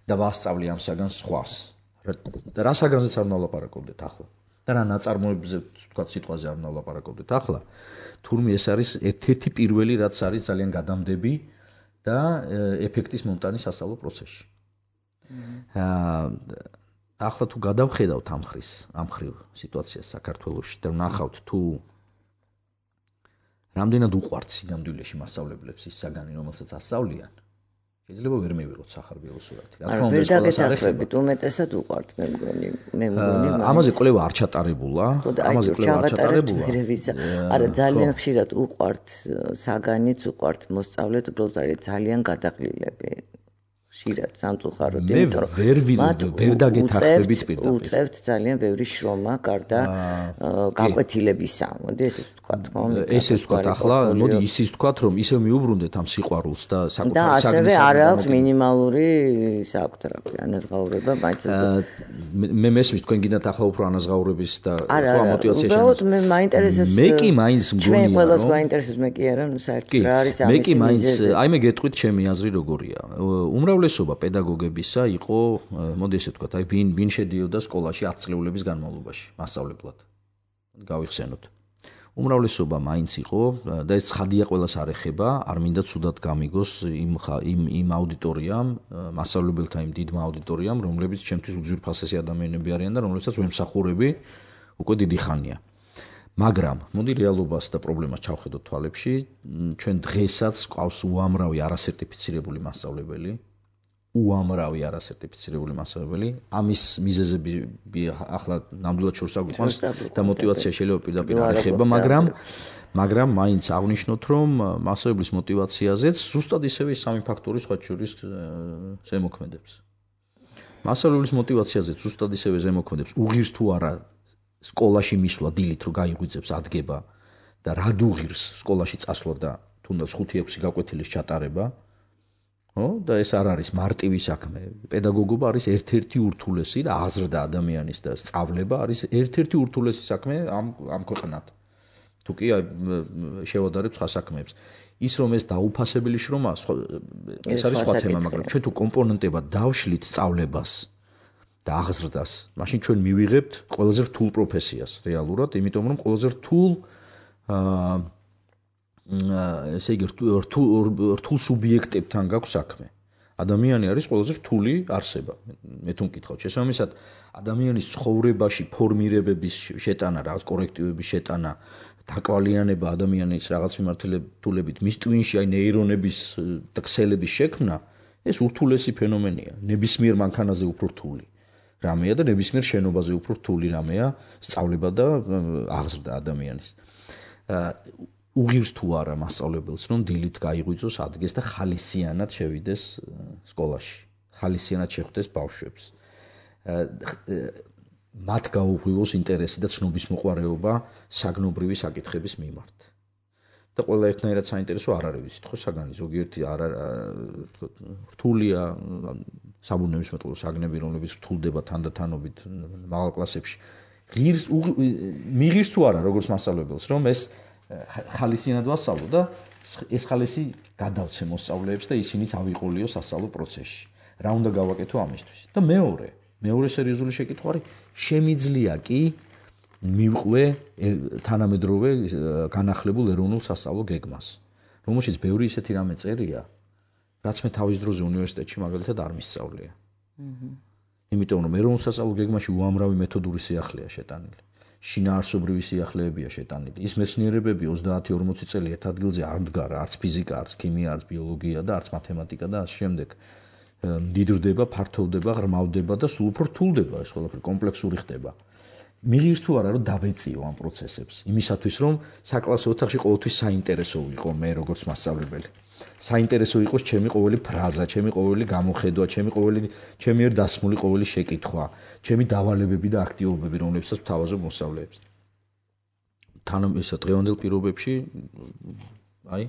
და ვასწავლი ამ საგანს სხვას. და რა საგანზეც არ ვნალაპარაკობდეთ ახლა. და რა ნაწარმოებზე თქვა სიტყვაზე არ ვნალაპარაკობდეთ ახლა. თურმე ეს არის ერთ-ერთი პირველი რაც არის ძალიან გადამდები და ეფექტის მომტანი სასწავლო პროცესში. აა ახლა თუ გადავხედავთ ამ ხრის, ამ ხრივ სიტუაციას საქართველოში და ვნახავთ თუ რამდენად უყვართ სინამდვილეში მასწავლებლებს ის საგანი, რომელსაც ასწავლიან, შეიძლება ვერ მივიღოთ სახარბიელო სურათი. რა თქმა უნდა, ყველას არ ეხება, უმეტესად უყვართ მე მგონი, მე მგონი. ამაზე კვლევა არ ჩატარებულა, ამაზე კვლევა არ ჩატარებულა. არა, ძალიან ხშირად უყვართ საგანიც, უყვართ მოსწავლეთ, უბრალოდ არის ძალიან გადაყლილები. ხშირად სამწუხაროდ, იმიტომ რომ ვერ ვერ დაგეთანხმებით პირდაპირ. უწევთ ძალიან ბევრი შრომა გარდა გაკვეთილებისა. მოდი ესეც ვთქვათ, ხო? ესეც ვთქვათ, ახლა მოდი ისიც ვთქვათ, რომ ისევ მიუბრუნდეთ ამ სიყვარულს და საკუთარ და ასევე არ აქვს მინიმალური საქვთ რა ქვია, ანაზღაურება, მაინც მე მესმის თქვენ გინდათ ახლა უფრო ანაზღაურების და ხო მოტივაცია შემოს. უბრალოდ მე მაინტერესებს მე კი მაინც მგონია, ჩვენ ყველას მაინტერესებს მე კი არა, ნუ საერთოდ რა არის ამის მე კი მაინც აი მე გეტყვით ჩემი აზრი როგორია. უმრავლესობა პედაგოგებისა იყო, მოდი ესე ვთქვათ, აი ვინ ვინ შედიოდა სკოლაში ათი წლეულების განმავლობაში მასწავლებლად. გავიხსენოთ. უმრავლესობა მაინც იყო და ეს ცხადია ყველას არ ეხება, არ მინდა ცუდად გამიგოს იმ იმ იმ აუდიტორიამ, მასწავლებელთა იმ დიდმა აუდიტორიამ, რომლებიც ჩემთვის უძვირფასესი ადამიანები არიან და რომლებსაც ვემსახურები უკვე დიდი ხანია. მაგრამ მოდი რეალობას და პრობლემას ჩავხედოთ თვალებში, ჩვენ დღესაც გვყავს უამრავი არასერტიფიცირებული მასწავლებელი. უამრავი არასერტიფიცირებული მასწავლებელი. ამის მიზეზები ახლა ნამდვილად შორს აგვიყვანს და მოტივაცია შეიძლება პირდაპირ არ ეხება, მაგრამ მაგრამ მაინც აღნიშნოთ, რომ მასწავლებლის მოტივაციაზეც ზუსტად ისევე სამი ფაქტორი სხვა შორის ზემოქმედებს. მასწავლებლის მოტივაციაზეც ზუსტად ისევე ზემოქმედებს უღირს თუ არა სკოლაში მისვლა დილით რომ გაიღვიძებს ადგება და რა დუღირს სკოლაში წასვლა და თუნდაც ხუთი ექვსი გაკვეთილის ჩატარება. ხო და ეს არ არის მარტივი საქმე. პედაგოგობა არის ერთ-ერთი ურთულესი და აზრდა ადამიანის და სწავლება არის ერთ-ერთი ურთულესი საქმე ამ ამ ქვეყნად. თუ კი შევადარებ სხვა საქმეებს. ის რომ ეს დაუფასებელი შრომა, ეს არის სხვა თემა, მაგრამ ჩვენ თუ კომპონენტებად დავშლით სწავლებას და აღზრდას, მაშინ ჩვენ მივიღებთ ყველაზე რთულ პროფესიას რეალურად, იმიტომ რომ ყველაზე რთულ აა ესე იგი რთულ სუბიექტებთან გაქვს საქმე. ადამიანი არის ყველაზე რთული არსება. მე თუ მკითხავთ, შესაბამისად, ადამიანის ცხოვრებაში ფორმირებების შეტანა, რაღაც კორექტივების შეტანა, დაკვალიანება ადამიანის რაღაც მიმართულებით, მის ტვინში აი ნეირონების და ქსელების შექმნა, ეს ურთულესი ფენომენია. ნებისმიერ მანქანაზე უფრო რთული რამეა და ნებისმიერ შენობაზე უფრო რთული რამეა სწავლება და აღზრდა ადამიანის. უღირს თუ არა მასწავლებელს რომ დილით გაიღვიძოს ადგეს და ხალისიანად შევიდეს სკოლაში. ხალისიანად შეხვდეს ბავშვებს. მათ გაუღვივოს ინტერესი და ცნობის მოყვარეობა საგნობრივი საკითხების მიმართ. და ყველა ერთნაირად საინტერესო არ არის ვიცით ხო საგანი ზოგიერთი არა რთულია საბუნების მეტყველო საგნები რომლებიც რთულდება თანდათანობით მაღალ კლასებში. ღირს მიღირს თუ არა როგორც მასწავლებელს რომ ეს ხალისიანად ვასწავლო და ეს ხალისი გადავცე მოსწავლეებს და ისინიც ავიყოლიო სასწავლო პროცესში. რა უნდა გავაკეთო ამისთვის? და მეორე, მეორე სერიოზული შეკითხვა არის, შემიძლია კი მივყვე თანამედროვე განახლებულ ეროვნულ სასწავლო გეგმას, რომელშიც ბევრი ისეთი რამე წერია, რაც მე თავის დროზე უნივერსიტეტში მაგალითად არ მისწავლია. იმიტომ რომ ეროვნულ სასწავლო გეგმაში უამრავი მეთოდური სიახლეა შეტანილი. შინაარსობრივი სიახლეებია შეტანილი. ის მეცნიერებები ოცდაათი ორმოცი წელი ერთ ადგილზე არ მდგარა, არც ფიზიკა, არც ქიმია, არც ბიოლოგია და არც მათემატიკა და ასე შემდეგ. მდიდრდება, ფართოვდება, ღრმავდება და სულ უფრო რთულდება, ეს ყველაფერი კომპლექსური ხდება. მიღირს თუ არა რომ დავეწიო ამ პროცესებს, იმისათვის რომ საკლასო ოთახში ყოველთვის საინტერესო ვიყო მე როგორც მასწავლებელი. საინტერესო იყოს ჩემი ყოველი ფრაზა, ჩემი ყოველი გამოხედვა, ჩემი ყოველი ჩემი ერთ დასმული ყოველი შეკითხვა, ჩემი დავალებები და აქტივობები, რომლებსაც ვთავაზობ მოსწავლეებს. თან ესა დღევანდელ პირობებში აი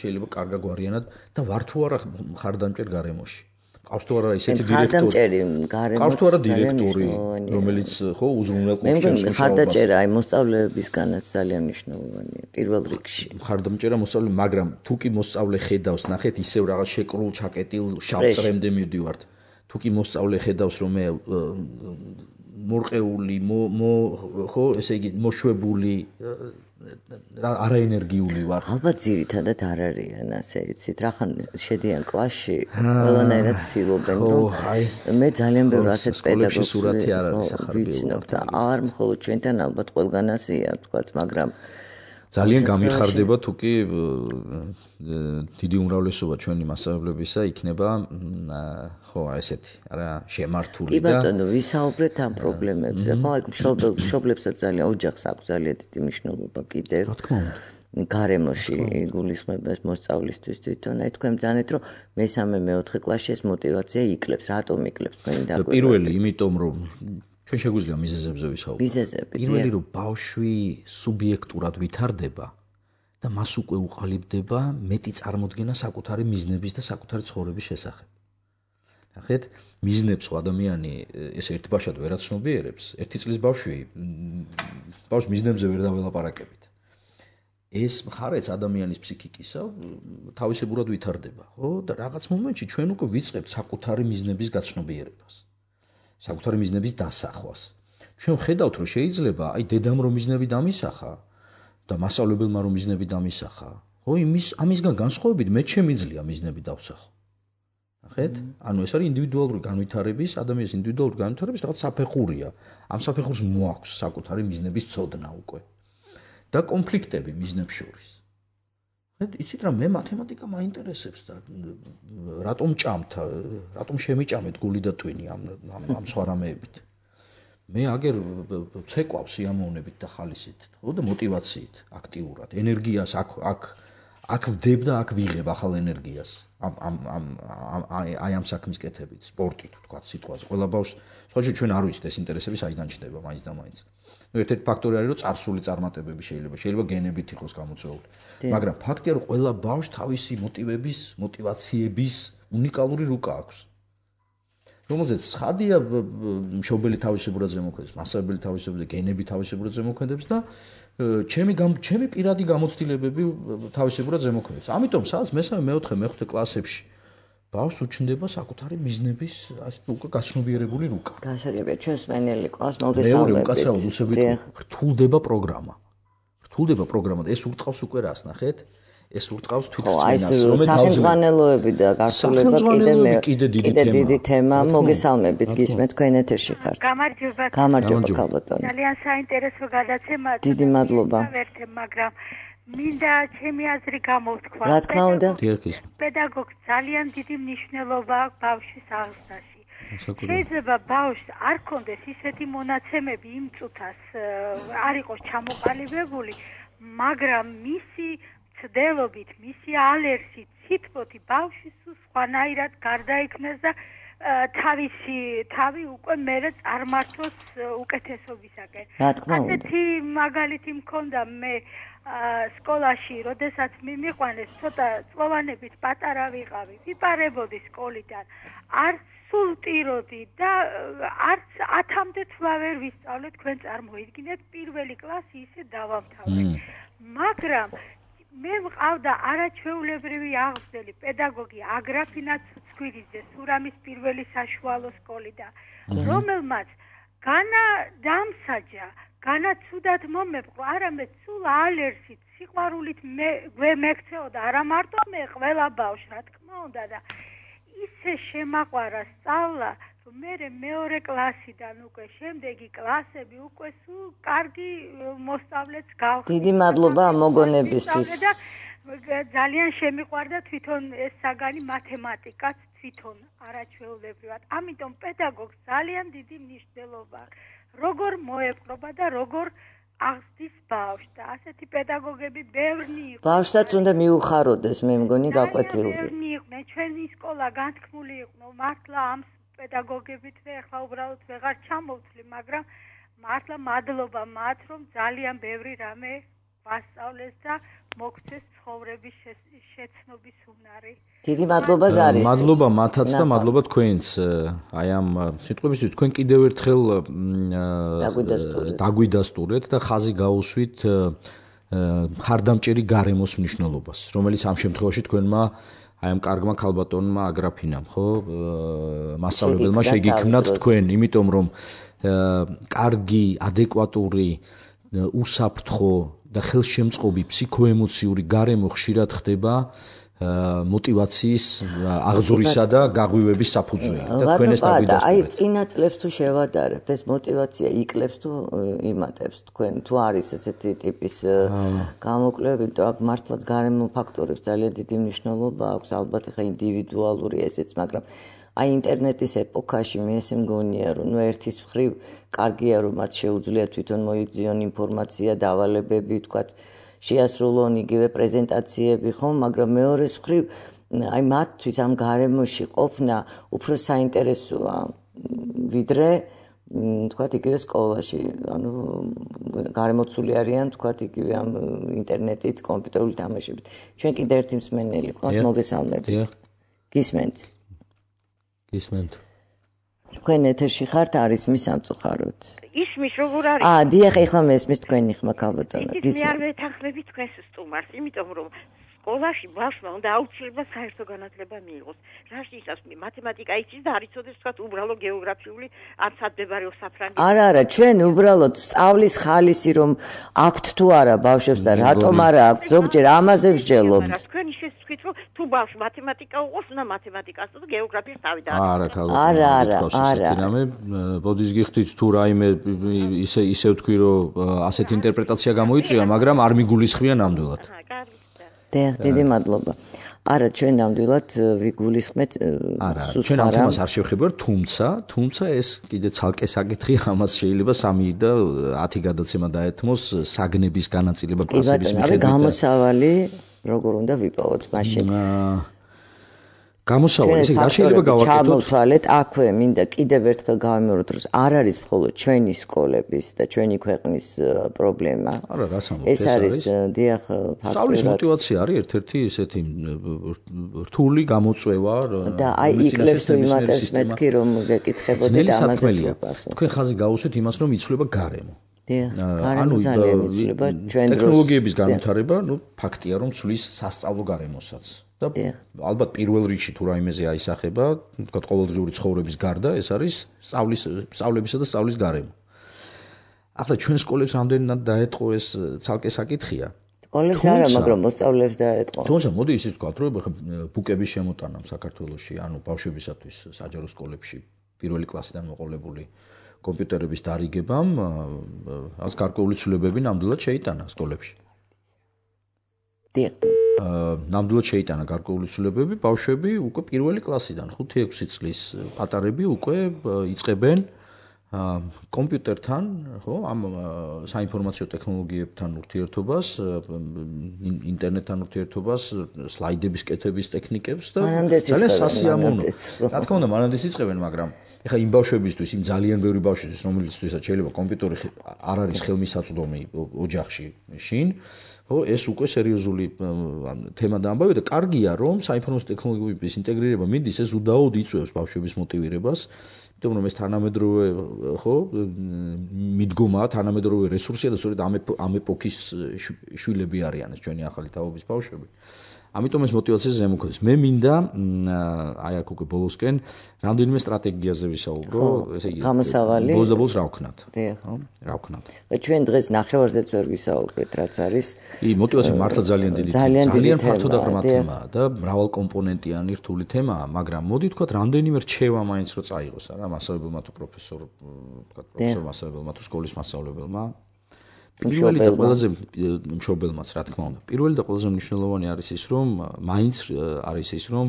შეიძლება კარგა გვარიანად და ვარ თუ არა ხარდამჭერ გარემოში. ყავს თუ არა ისეთი დირექტორი, ყავს თუ არა დირექტორი, რომელიც ხო უზრუნველყოფს ჩემს მუშაობას. ხარდაჭერა აი მოსწავლეებისგანაც ძალიან მნიშვნელოვანია პირველ რიგში. ხარდამჭერა მოსწავლე, მაგრამ თუ კი მოსწავლე ხედავს, ნახეთ, ისევ რაღაც შეკრულ, ჩაკეტილ, შავწრემდე მივდივართ. თუ კი მოსწავლე ხედავს, რომ მე მორყეული, ხო, ესე იგი, მოშვებული არაენერგიული ვარ. ალბათ ძირითადად არ არიან, ასე იცით, რახან შედიან კლასში, ყველანაირად ცდილობენ, რომ მე ძალიან ბევრ ასეთ პედაგოგს ვიცნობ და არ მხოლოდ ჩვენთან ალბათ ყველგან ასეა, თქვათ, მაგრამ ძალიან გამიხარდება თუ კი დიდი უმრავლესობა ჩვენი მასწავლებლებისა იქნება ხო ესეთი არა შემართული და კი ბატონო ვისაუბრეთ ამ პრობლემებზე ხო აი მშობლებსაც ძალიან ოჯახს აქვს ძალიან დიდი მნიშვნელობა კიდევ რა თქმა უნდა გარემოში გულისხმება მოსწავლისთვის თვითონ აი თქვენ ბრძანეთ რომ მესამე მეოთხე კლასში ეს мотиваცია იკლებს რატომ იკლებს თქვენი დაკვირვება პირველი იმიტომ რომ ჩვენ შეგვიძლია მიზეზებზე ვისაუბროთ მიზეზები პირველი რომ ბავშვი სუბიექტურად ვითარდება და მას უკვე უყალიბდება მეტი წარმოდგენა საკუთარი მიზნების და საკუთარი ცხოვრების შესახებ. ნახეთ, მიზნებს ადამიანი ეს ერთბაშად ვერ აცნობიერებს. ერთი წლის ბავშვი ბავშვს მიზნებზე ვერ დაველაპარაკებით. ეს მხარეც ადამიანის ფსიქიკისა თავისებურად ვითარდება, ხო? და რაღაც მომენტში ჩვენ უკვე ვიწყებთ საკუთარი მიზნების გაცნობიერებას. საკუთარი მიზნების დასახვას. ჩვენ ხედავთ რომ შეიძლება აი დედამ რომ მიზნები დამისახა და მასწავლებელმა რომ მიზნები დამისახა, ხო, იმის ამისგან განსხვავებით მე შემიძლია მიზნები დავსახო. ნახეთ? ანუ ეს არის ინდივიდუალური განვითარების, ადამიანის ინდივიდუალური განვითარების რაღაც საფეხურია. ამ საფეხურს მოაქვს საკუთარი მიზნების ცოდნა უკვე. და კონფლიქტები მიზნებს შორის. ნახეთ, იცით რა მე მათემატიკა მაინტერესებს და რატომ ჭამთ, რატომ შემიჭამეთ გული და ტვინი ამ ამ სხვა რამეებით. მე აგერ ცეკვავს სიამოვნებით და ხალისით, ხო და мотиваციით, აქტიურად, ენერგიას აქ აქ აქ ვდებ და აქ ვიღებ ახალ ენერგიას. ამ ამ ამ აი ამ საქმის კეთებით, სპორტით, თქვა სიტყვაზე. ყველა ბავშვს, სხვა ჩვენ არ ვიცით ეს ინტერესები საიდან ჩდება მაინც და მაინც. ნუ ერთ-ერთი ფაქტორი არის რომ წარსული წარმატებები შეიძლება, შეიძლება გენებით იყოს გამოწვეული. მაგრამ ფაქტია რომ ყველა ბავშვს თავისი мотивების, мотиваციების უნიკალური რუკა აქვს. რომელზეც ცხადია მშობელი თავისებურად ზემოქმედებს, მასწავლებელი თავისებურად, გენები თავისებურად ზემოქმედებს და ჩემი ჩემი პირადი გამოცდილებები თავისებურად ზემოქმედებს. ამიტომ სადაც მესამე, მეოთხე, მეხუთე კლასებში ბავშვს უჩნდება საკუთარი მიზნების უკვე გაცნობიერებული რუკა. გასაგებია, ჩვენს მენელი კლასს მოგესალმებით. მეორე უკაცრავად უსებით რთულდება პროგრამა. რთულდება პროგრამა და ეს ურტყავს უკვე რას ნახეთ? ეს ურტყავს თვითრწმენას, რომელიც სახელმძღვანელოები და გასულება კიდე კიდე დიდი თემა. მოგესალმებით, გისმენთ თქვენ ეთერში ხართ. გამარჯობა. გამარჯობა ქალბატონო. ძალიან საინტერესო გადაცემა. დიდი მადლობა. მაგრამ მინდა ჩემი აზრი გამოვთქვა. რა თქმა უნდა. პედაგოგს ძალიან დიდი მნიშვნელობა აქვს ბავშვის აღზრდაში. შეიძლება ბავშვს არ კონდეს ისეთი მონაცემები იმ წუთას არ იყოს ჩამოყალიბებული, მაგრამ მისი ცდელობით, მისი ალერსით, ციტბოთი ბავშვი სხვანაირად გარდაიქმნას და თავისი თავი უკვე მერე წარმართოს უკეთესობისაკენ. რა თქმა უნდა. ასეთი მაგალითი მქონდა მე სკოლაში, როდესაც მიმიყვანეს, ცოტა წლოვანებით პატარა ვიყავი, ვიპარებოდი სკოლიდან. არც სულ ტიროდი და არც ათამდე თვლა ვერ ვისწავლე, თქვენ წარმოიდგინეთ, პირველი კლასი ისე დავამთავრე. მაგრამ მე მყავდა არაჩვეულებრივი აღმზრდელი პედაგოგი აგრაფინა ცუცქვირიძე სურამის პირველი საშუალო სკოლიდან, რომელმაც განა დამსაჯა, განა ცუდად მომეყო, არამედ სულ ალერსით, სიყვარულით მეკცეოდა, არა მარტო მე, ყველა ბავშვს, რა თქმა უნდა და ისე შემაყვარა სწავლა, რომ მე მეორე კლასიდან უკვე შემდეგი კლასები უკვე სულ კარგი მოსწავლეც გავხდი. დიდი მადლობა ამ მოგონებისთვის. ძალიან შემიყვარდა თვითონ ეს საგანი მათემატიკაც თვითონ არაჩვეულებრივად. ამიტომ პედაგოგს ძალიან დიდი მნიშვნელობა აქვს. როგორ მოეპყრობა და როგორ აღზრდის ბავშვს და ასეთი პედაგოგები ბევრი იყო. ბავშვსაც უნდა მიუხაროდეს, მე მგონი გაკვეთილზე. ბევრი იყვნენ, ჩვენი სკოლა განთქმული იყო, მართლა ამ პედაგოგებით მე ახლა უბრალოდ ვეღარ ჩამოვთვლი, მაგრამ მართლა მადლობა მათ, რომ ძალიან ბევრი რამე ვასწავლეს და მოგცეს ცხოვრების შეცნობის უნარი. დიდი მადლობა ზარისთვის. მადლობა მათაც და მადლობა თქვენს. აი ამ სიტყვებისთვის თქვენ კიდევ ერთხელ დაგვიდასტურეთ და ხაზი გაუსვით მხარდამჭერი გარემოს მნიშვნელობას, რომელიც ამ შემთხვევაში თქვენმა აი ამ კარგმა ქალბატონმა აგრაფინამ, ხო, მასწავლებელმა შეგიქმნათ თქვენ, იმიტომ რომ კარგი, ადეკვატური, უსაფრთხო და ხელშემწყობი ფსიქოემოციური გარემო ხშირად ხდება მოტივაციის აღძვრისა და გაღვივების საფუძველი და თქვენ ეს დაგვიდასტურეთ. აი წინა წლებს თუ შევადარებთ, ეს მოტივაცია იკლებს თუ იმატებს თქვენ, თუ არის ესეთი ტიპის გამოკვლევები, იმიტომ აქ მართლაც გარემო ფაქტორებს ძალიან დიდი მნიშვნელობა აქვს, ალბათ ხა ინდივიდუალური ესეც, მაგრამ აი ინტერნეტის ეპოქაში მე ესე მგონია, რომ ნუ ერთის მხრივ კარგია, რომ მათ შეუძლიათ თვითონ მოიძიონ ინფორმაცია, დავალებები, თქვათ შეასრულონ იგივე პრეზენტაციები, ხო, მაგრამ მეორეს მხრივ აი მათთვის ამ გარემოში ყოფნა უფრო საინტერესოა, ვიდრე თქვათ იგივე სკოლაში, ანუ გარემოცული არიან თქვათ იგივე ამ ინტერნეტით, კომპიუტერული თამაშებით. ჩვენ კიდე ერთი მსმენელი გვყავს, მოგესალმებით. გისმენთ? გისმენთ. თქვენ ეთერში ხართ, არის მის სამწუხაროდ. ისმის როგორ არის? აა, დიახ, ეხლა მესმის თქვენი ხმა ქალბატონო. გისმენთ. მე არ ვეთანხმები თქვენს სტუმარს, იმიტომ რომ სკოლაში ბავშვმა უნდა აუცილებლად საერთო განათლება მიიღოს. რაშისაც მათემატიკა იცის და არ იცოდეს თქვათ უბრალო გეოგრაფიული ან სადებარეო საფრანგეთის. არა, არა, ჩვენ უბრალოდ სწავლის ხალისი რომ აქვთ თუ არა ბავშვებს და რატომ არა აქვთ, ზოგჯერ ამაზე ვსჯელობთ. თქვენ ისე თქვით რომ თუ ბავშვს მათემატიკა უყოს, უნდა მათემატიკას და გეოგრაფიას თავი და არა, ქალბატონო. არა, არა, არა. რამე ბოდის გიხდით თუ რაიმე ისე ისე ვთქვი რომ ასეთი ინტერპრეტაცია გამოიწვია, მაგრამ არ მიგულისხმია ნამდვილად. დიახ, დიდი მადლობა. არა, ჩვენ ნამდვილად ვიგულისხმეთ სულ ჩვენ ამ თემას არ შევხებავთ, თუმცა, თუმცა ეს კიდე ცალკე საკითხია, ამას შეიძლება სამი და ათი გადაცემა დაეთმოს საგნების განაწილება კლასების მიხედვით. აი, გამოსავალი როგორ უნდა ვიპოვოთ მაშინ? გამოსავალი, ესე რა შეიძლება გავაკეთოთ? ჩამოვთვალეთ, აქვე მინდა კიდევ ერთხელ გავიმეოროთ, რომ არ არის მხოლოდ ჩვენი სკოლების და ჩვენი ქვეყნის პრობლემა. არა, რაც ამბობთ, ეს არის დიახ ფაქტურად. სწავლის მოტივაცია არის ერთ-ერთი ესეთი რთული გამოწვევა და აი იკლებს თუ იმატებს მეთქი რომ გეკითხებოდეთ ამაზე პასუხი. თქვენ ხაზი გაუსვეთ იმას, რომ იცვლება გარემო. დიახ, გარემო ძალიან იცვლება ჩვენ დროს. ტექნოლოგიების განვითარება, ნუ ფაქტია რომ ცვლის სასწავლო გარემოსაც. და ალბათ პირველ რიგში თუ რაიმეზე აისახება, თქვა ყოველდღიური ცხოვრების გარდა, ეს არის სწავლის სწავლებისა და სწავლის გარემო. ახლა ჩვენ სკოლებს რამდენად დაეტყო ეს ცალკე საკითხია. სკოლებს არა, მაგრამ მოსწავლეებს დაეტყო. თუმცა მოდი ისიც ვთქვათ, რომ ბუკების შემოტანა საქართველოში, ანუ ბავშვებისათვის საჯარო სკოლებში პირველი კლასიდან მოყოლებული კომპიუტერების დარიგებამ, რაც გარკვეული ცვლილებები ნამდვილად შეიტანა სკოლებში. დიახ. ნამდვილად შეიტანა გარკვეული ცვლილებები, ბავშვები უკვე პირველი კლასიდან, ხუთი ექვსი წლის პატარები უკვე იწყებენ კომპიუტერთან, ხო, ამ საინფორმაციო ტექნოლოგიებთან ურთიერთობას, ინტერნეტთან ურთიერთობას, სლაიდების კეთების ტექნიკებს და ძალიან სასიამოვნო. რა თქმა უნდა, მანამდეც იწყებენ, მაგრამ ეხლა იმ ბავშვებისთვის, იმ ძალიან ბევრი ბავშვისთვის, რომელიცთვისაც შეიძლება კომპიუტერი არ არის ხელმისაწვდომი ოჯახში შინ, ხო, ეს უკვე სერიოზული თემა და ამბავია და კარგია, რომ საინფორმაციო ტექნოლოგიების ინტეგრირება მიდის, ეს უდაოდ იწვევს ბავშვების მოტივირებას, იმიტომ რომ ეს თანამედროვე, ხო, მიდგომაა, თანამედროვე რესურსია და სწორედ ამ ეპოქის შვილები არიან ეს ჩვენი ახალი თაობის ბავშვები. ამიტომ ეს მოტივაციაზე ზემოქმედებს. მე მინდა აი აქ უკვე ბოლოსკენ რამდენიმე სტრატეგიაზე ვისაუბრო, ესე იგი გამოსავალი. ბოლოს და ბოლოს რა ვქნათ? ხო, რა ვქნათ? ჩვენ დღეს ნახევარზეც ვერ ვისაუბრეთ, რაც არის. ი მოტივაცია მართლა ძალიან დიდი ძალიან ფართო და ღრმა თემაა და მრავალკომპონენტიანი რთული თემაა, მაგრამ მოდი ვთქვათ, რამდენიმე რჩევა მაინც რო წაიღოს, არა, მასწავლებელმა თუ პროფესორ, ვთქვათ, პროფესორ მასწავლებელმა თუ სკოლის მასწავლებელმა. პირველი და ყველაზე მშობელმაც, რა თქმა უნდა. პირველი და ყველაზე მნიშვნელოვანი არის ის, რომ მაინც არის ის, რომ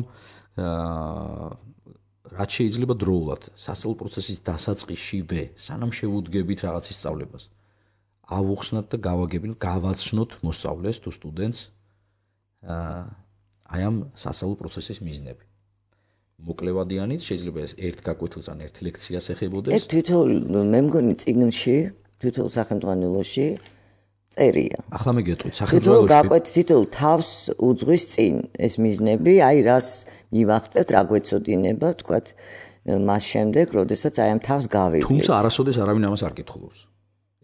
რაც შეიძლება დროულად სასწავლო პროცესის დასაწყისშივე, სანამ შევუდგებით რაღაცის სწავლებას, ავუხსნათ და გავაგებინოთ, გავაცნოთ მოსწავლეს თუ სტუდენტს აი ამ სასწავლო პროცესის მიზნები. მოკლევადიანიც შეიძლება ეს ერთ გაკვეთილს ან ერთ ლექციას ეხებოდეს. ეს თითოეულ მე მგონი წიგნში თითოეულ სახელმძღვანელოში წერია. ახლა მე გეტყვით თითოეულ სახელმძღვანელოში. გაკვეთ თითოეულ თავს უძღვის წინ ეს მიზნები, აი რას მივახცევთ, რა გვეცოდინება, თქვათ მას შემდეგ, როდესაც აი ამ თავს გავიგებთ. თუმცა არასოდეს არავინ ამას არ კითხულობს.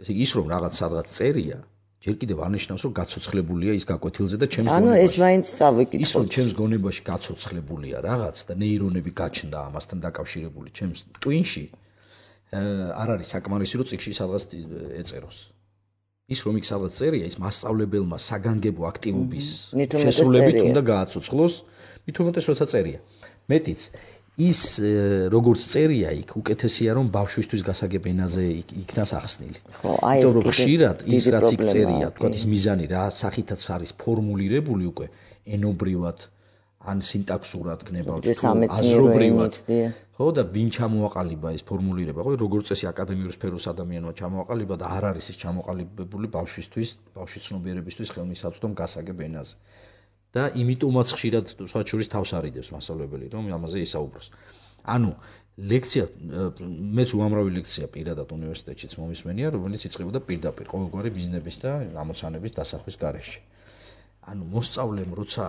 ესე იგი ის რომ რაღაც სადღაც წერია, ჯერ კიდევ არნიშნავს, რომ გაცოცხლებულია ის გაკვეთილზე და ჩემს ანუ ეს მაინც წავიკითხოთ. ის რომ ჩემს გონებაში გაცოცხლებულია რაღაც და ნეირონები გაჩნდა ამასთან დაკავშირებული ჩემს ტვინში, არ არის საკმარისი, რომ წიგნში სადღაც ეწეროს. ის რომ იქ სადღაც წერია, ის მასწავლებელმა საგანგებო აქტივობის შესრულებით უნდა გააცოცხლოს, მით უმეტეს როცა წერია. მეტიც ის როგორც წერია იქ უკეთესია რომ ბავშვისთვის გასაგებ ენაზე იქნას ახსნილი. იმიტომ რომ ხშირად ის რაც იქ წერია, თქვა ის მიზანი რა სახითაც არის ფორმულირებული უკვე ენობრივად ან სინტაქსურად გნებავთ თუ აზრობრივად. ხო და ვინ ჩამოაყალიბა ეს ფორმულირება, ხო როგორც წესი აკადემიურ სფეროს ადამიანმა ჩამოაყალიბა და არ არის ის ჩამოყალიბებული ბავშვისთვის, ბავშვის ცნობიერებისთვის ხელმისაწვდომ გასაგებ ენაზე. და იმიტომაც ხშირად სხვა შორის თავს არიდებს მასწავლებელი, რომ ამაზე ისაუბროს. ანუ ლექცია, მეც უამრავი ლექცია პირადად უნივერსიტეტშიც მომისმენია, რომელიც იწყებოდა პირდაპირ ყოველგვარი ბიზნესის და ამოცანების დასახვის გარეშე. ანუ მოსწავლემ, როცა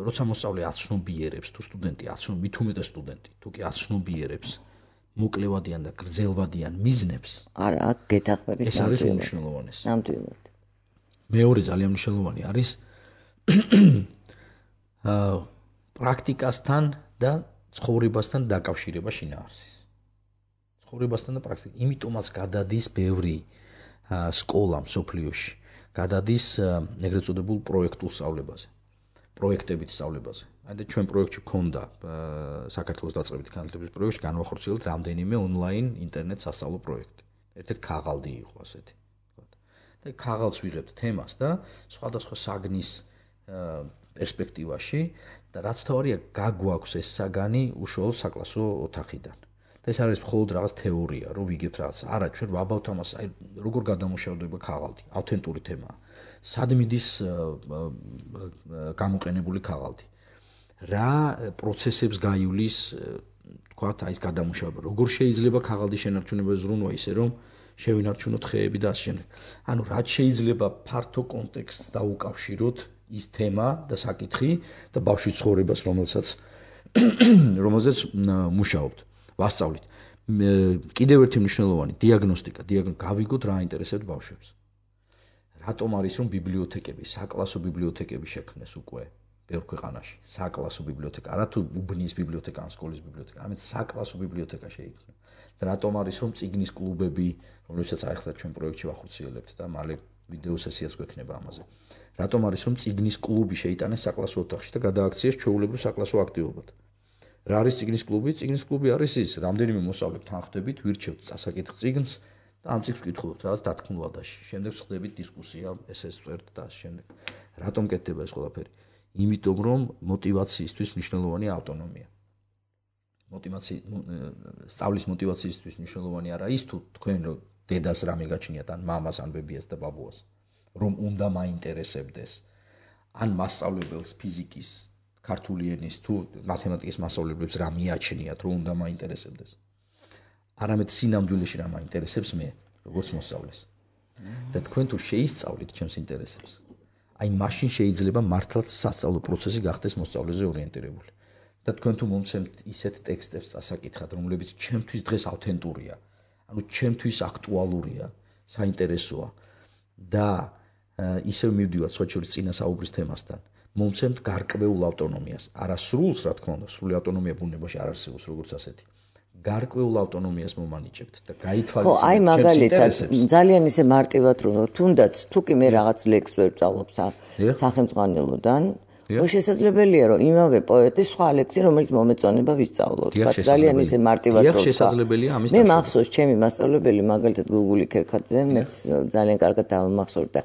როცა მოსწავლე აცნობიერებს, თუ სტუდენტი აცნობ, მით უმეტეს სტუდენტი, თუ კი აცნობიერებს მოკლევადიან და გრძელვადიან მიზნებს, არა, გეთახმებით. ეს არის უმნიშვნელოვანესი. ნამდვილად. მეორე ძალიან მნიშვნელოვანი არის პრაქტიკასთან და ცხოვრებასთან დაკავშირება შინაარსის. ცხოვრებასთან და პრაქტიკა. იმიტომაც გადადის ბევრი სკოლა მსოფლიოში, გადადის ეგრეთ წოდებულ პროექტულ სწავლებაზე, პროექტებით სწავლებაზე. აი და ჩვენ პროექტში გქონდა საქართველოს დაწყებითი განათლების პროექტში განვახორციელეთ რამდენიმე ონლაინ ინტერნეტ სასწავლო პროექტი. ერთ-ერთი ქაღალდი იყო ასეთი. და ქაღალდს ვიღებთ თემას და სხვადასხვა საგნის პერსპექტივაში და რაც თავარია გაგვაქვს ეს საგანი უშუალოდ საკლასო ოთახიდან. და ეს არის მხოლოდ რაღაც თეორია, რომ ვიგებთ რაღაც. არა, ჩვენ ვაბავთ ამას, აი როგორ გადამუშავდება ქაღალდი, ავთენტური თემაა. სად მიდის გამოყენებული ქაღალდი? რა პროცესებს გაივლის, თქვათ, აი ეს გადამუშავება. როგორ შეიძლება ქაღალდი შენარჩუნება ზრუნვა ისე, რომ შევინარჩუნოთ ხეები და ასე შემდეგ. ანუ რაც შეიძლება ფართო კონტექსტს დაუკავშიროთ ის თემა და საკითხი და ბავშვის ცხოვრებას, რომელსაც რომელზეც მუშაობთ, ვასწავლით. კიდევ ერთი მნიშვნელოვანი დიაგნოსტიკა, გავიგოთ რა აინტერესებთ ბავშვებს. რატომ არის რომ ბიბლიოთეკები, საკლასო ბიბლიოთეკები შექმნეს უკვე ბევრ ქვეყანაში, საკლასო ბიბლიოთეკა, არა თუ უბნის ბიბლიოთეკა, ან სკოლის ბიბლიოთეკა, არამედ საკლასო ბიბლიოთეკა შეიქმნა. და რატომ არის რომ წიგნის კლუბები, რომლებსაც ახლა ჩვენ პროექტში ვახორციელებთ და მალე ვიდეო სესიაც გვექნება ამაზე. რატომ არის რომ წიგნის კლუბი შეიტანეს საკლასო ოთახში და გადააქციეს ჩვეულებრივ საკლასო აქტივობად. რა არის წიგნის კლუბი? წიგნის კლუბი არის ის, რამდენიმე მოსწავლე თანხდებით, ვირჩევთ წასაკითხ წიგნს და ამ წიგნს ვკითხულობთ რაღაც დათქმულადაში. შემდეგ ხდებით დისკუსია, ესეს წერთ და ასე შემდეგ. რატომ კეთდება ეს ყველაფერი? იმიტომ რომ мотиваციისთვის მნიშვნელოვანია ავტონომია. мотиваცი სწავლის мотиваციისთვის მნიშვნელოვანი არა ის თუ თქვენ რომ დედას რამე გაჩნიათ ან მამას ან ბებიას და ბაბუას რომ უნდა მაინტერესებდეს ან მასწავლებელს ფიზიკის ქართული ენის თუ მათემატიკის მასწავლებლებს რა მიაჩნიათ რომ უნდა მაინტერესებდეს არამედ სინამდვილეში რა მაინტერესებს მე როგორც მოსწავლეს და თქვენ თუ შეისწავლით ჩემს ინტერესებს აი მაშინ შეიძლება მართლაც სასწავლო პროცესი გახდეს მოსწავლეზე ორიენტირებული და თქვენ თუ მომცემთ ისეთ ტექსტებს წასაკითხად რომლებიც ჩემთვის დღეს ავთენტურია ანუ ჩემთვის აქტუალურია საინტერესოა და ისევ მივდივართ სხვა შორის წინა საუბრის თემასთან მომცემთ გარკვეულ ავტონომიას არა სრულს რა თქმა უნდა სრული ავტონომია ბუნებაში არ არსებობს როგორც ასეთი გარკვეულ ავტონომიას მომანიჭებთ და გაითვალისწინებთ ხო აი მაგალითად ძალიან ისე მარტივად რომ თუნდაც თუ კი მე რაღაც ლექს ვერ ვწავლობ სახელმძღვანელოდან ხო შესაძლებელია რომ იმავე პოეტის სხვა ლექსი რომელიც მომეწონება ვისწავლოთ ძალიან ისე მარტივად რომ შესაძლებელია ამის მე მახსოვს ჩემი მასწავლებელი მაგალითად გუგული ქერქაძე მეც ძალიან კარგად დავამახსოვრდა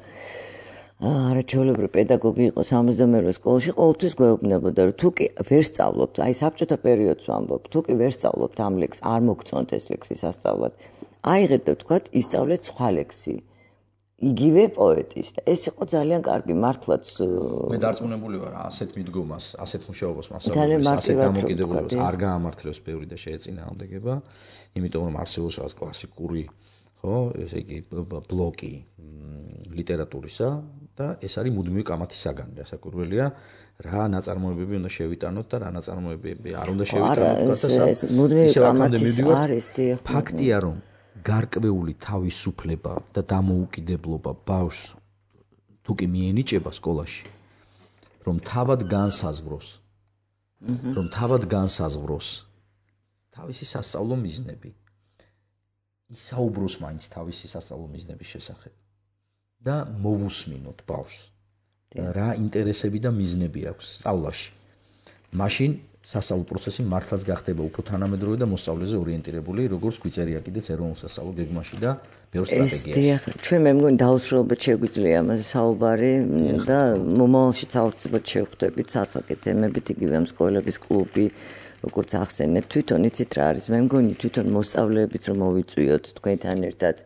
არა ჩვეულებრივი პედაგოგი იყო სამოცდამეერვე სკოლაში ყოველთვის გვეუბნებოდა რომ თუ კი ვერ სწავლობთ აი საბჭოთა პერიოდს ვამბობ თუ კი ვერ სწავლობთ ამ ლექსს არ მოგწონთ ეს ლექსი სასწავლად აიღეთ და თქვათ ისწავლეთ სხვა ლექსი იგივე პოეტის და ეს იყო ძალიან კარგი მართლაც მე დარწმუნებული ვარ ასეთ მიდგომას ასეთ მუშაობას მასწავლებლებს ასეთ დამოკიდებულებას არ გაამართლებს ბევრი და შეეწინააღმდეგება იმიტომ რომ არსებობს რაღაც კლასიკური ხო ესე იგი ბლოკი ლიტერატურისა და ეს არის მუდმივი კამათის საგანი რასაკვირველია რა ნაწარმოებები უნდა შევიტანოთ და რა ნაწარმოებები არ უნდა შევიტანოთ და ეს მუდმივი კამათის არის ფაქტია რომ გარკვეული თავისუფლება და დამოუკიდებლობა ბავშვს თუ კი მიენიჭება სკოლაში, რომ თავად განსაზღვროს, რომ თავად განსაზღვროს თავისი სასწავლო მიზნები, ისაუბროს მაინც თავისი სასწავლო მიზნების შესახებ და მოვუსმინოთ ბავშვს. რა ინტერესები და მიზნები აქვს სწავლაში. მაშინ სასწავლო პროცესი მართლაც გახდება უფრო თანამედროვე და მოსწავლეზე ორიენტირებული, როგორც გვიწერია კიდეც ეროვნულ სასწავლო გეგმაში და ბევრ სტრატეგიაში. ეს ჩვენ მე მგონი დაუსრულებლად შეგვიძლია ამაზე საუბარი და მომავალშიც აუცილებლად შევხვდებით ცალ-ცალკე თემებით, იგივე ამ სკოლების კლუბი, როგორც ახსენეთ, თვითონ იცით რა არის, მე მგონი თვითონ მოსწავლეებით რომ მოვიწვიოთ თქვენთან ერთად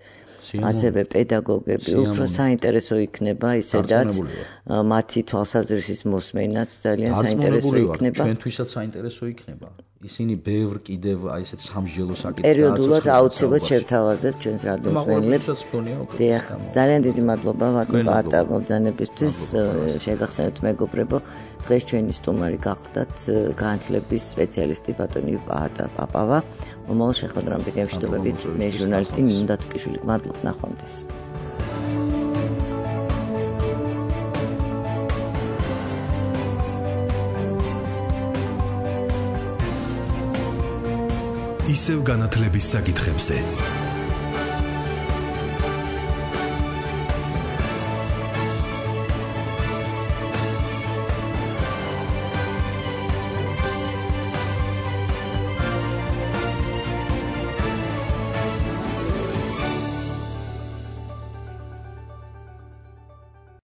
ასევე პედაგოგები უფრო საინტერესო იქნება ისედაც მათი თვალსაზრისის მოსმენაც ძალიან საინტერესო იქნება. ჩვენთვისაც საინტერესო იქნება. ისინი ბევრ კიდევ აი ესეთ სამსჯელო საკითხებს პერიოდულად აუცილებლად შევთავაზებთ ჩვენს რადიოსმენელებს. დიახ, ძალიან დიდი მადლობა ბატონ პაატა მობრძანებისთვის. შეგახსენებთ მეგობრებო, დღეს ჩვენი სტუმარი გახლდათ განათლების სპეციალისტი ბატონი პაატა პაპავა. მომავალ შეხვედრამდე გემშვიდობებით, მე ჟურნალისტი ნინო დათუკიშვილი. მადლობთ, ნახვამდის. ისევ განათლების საკითხებზე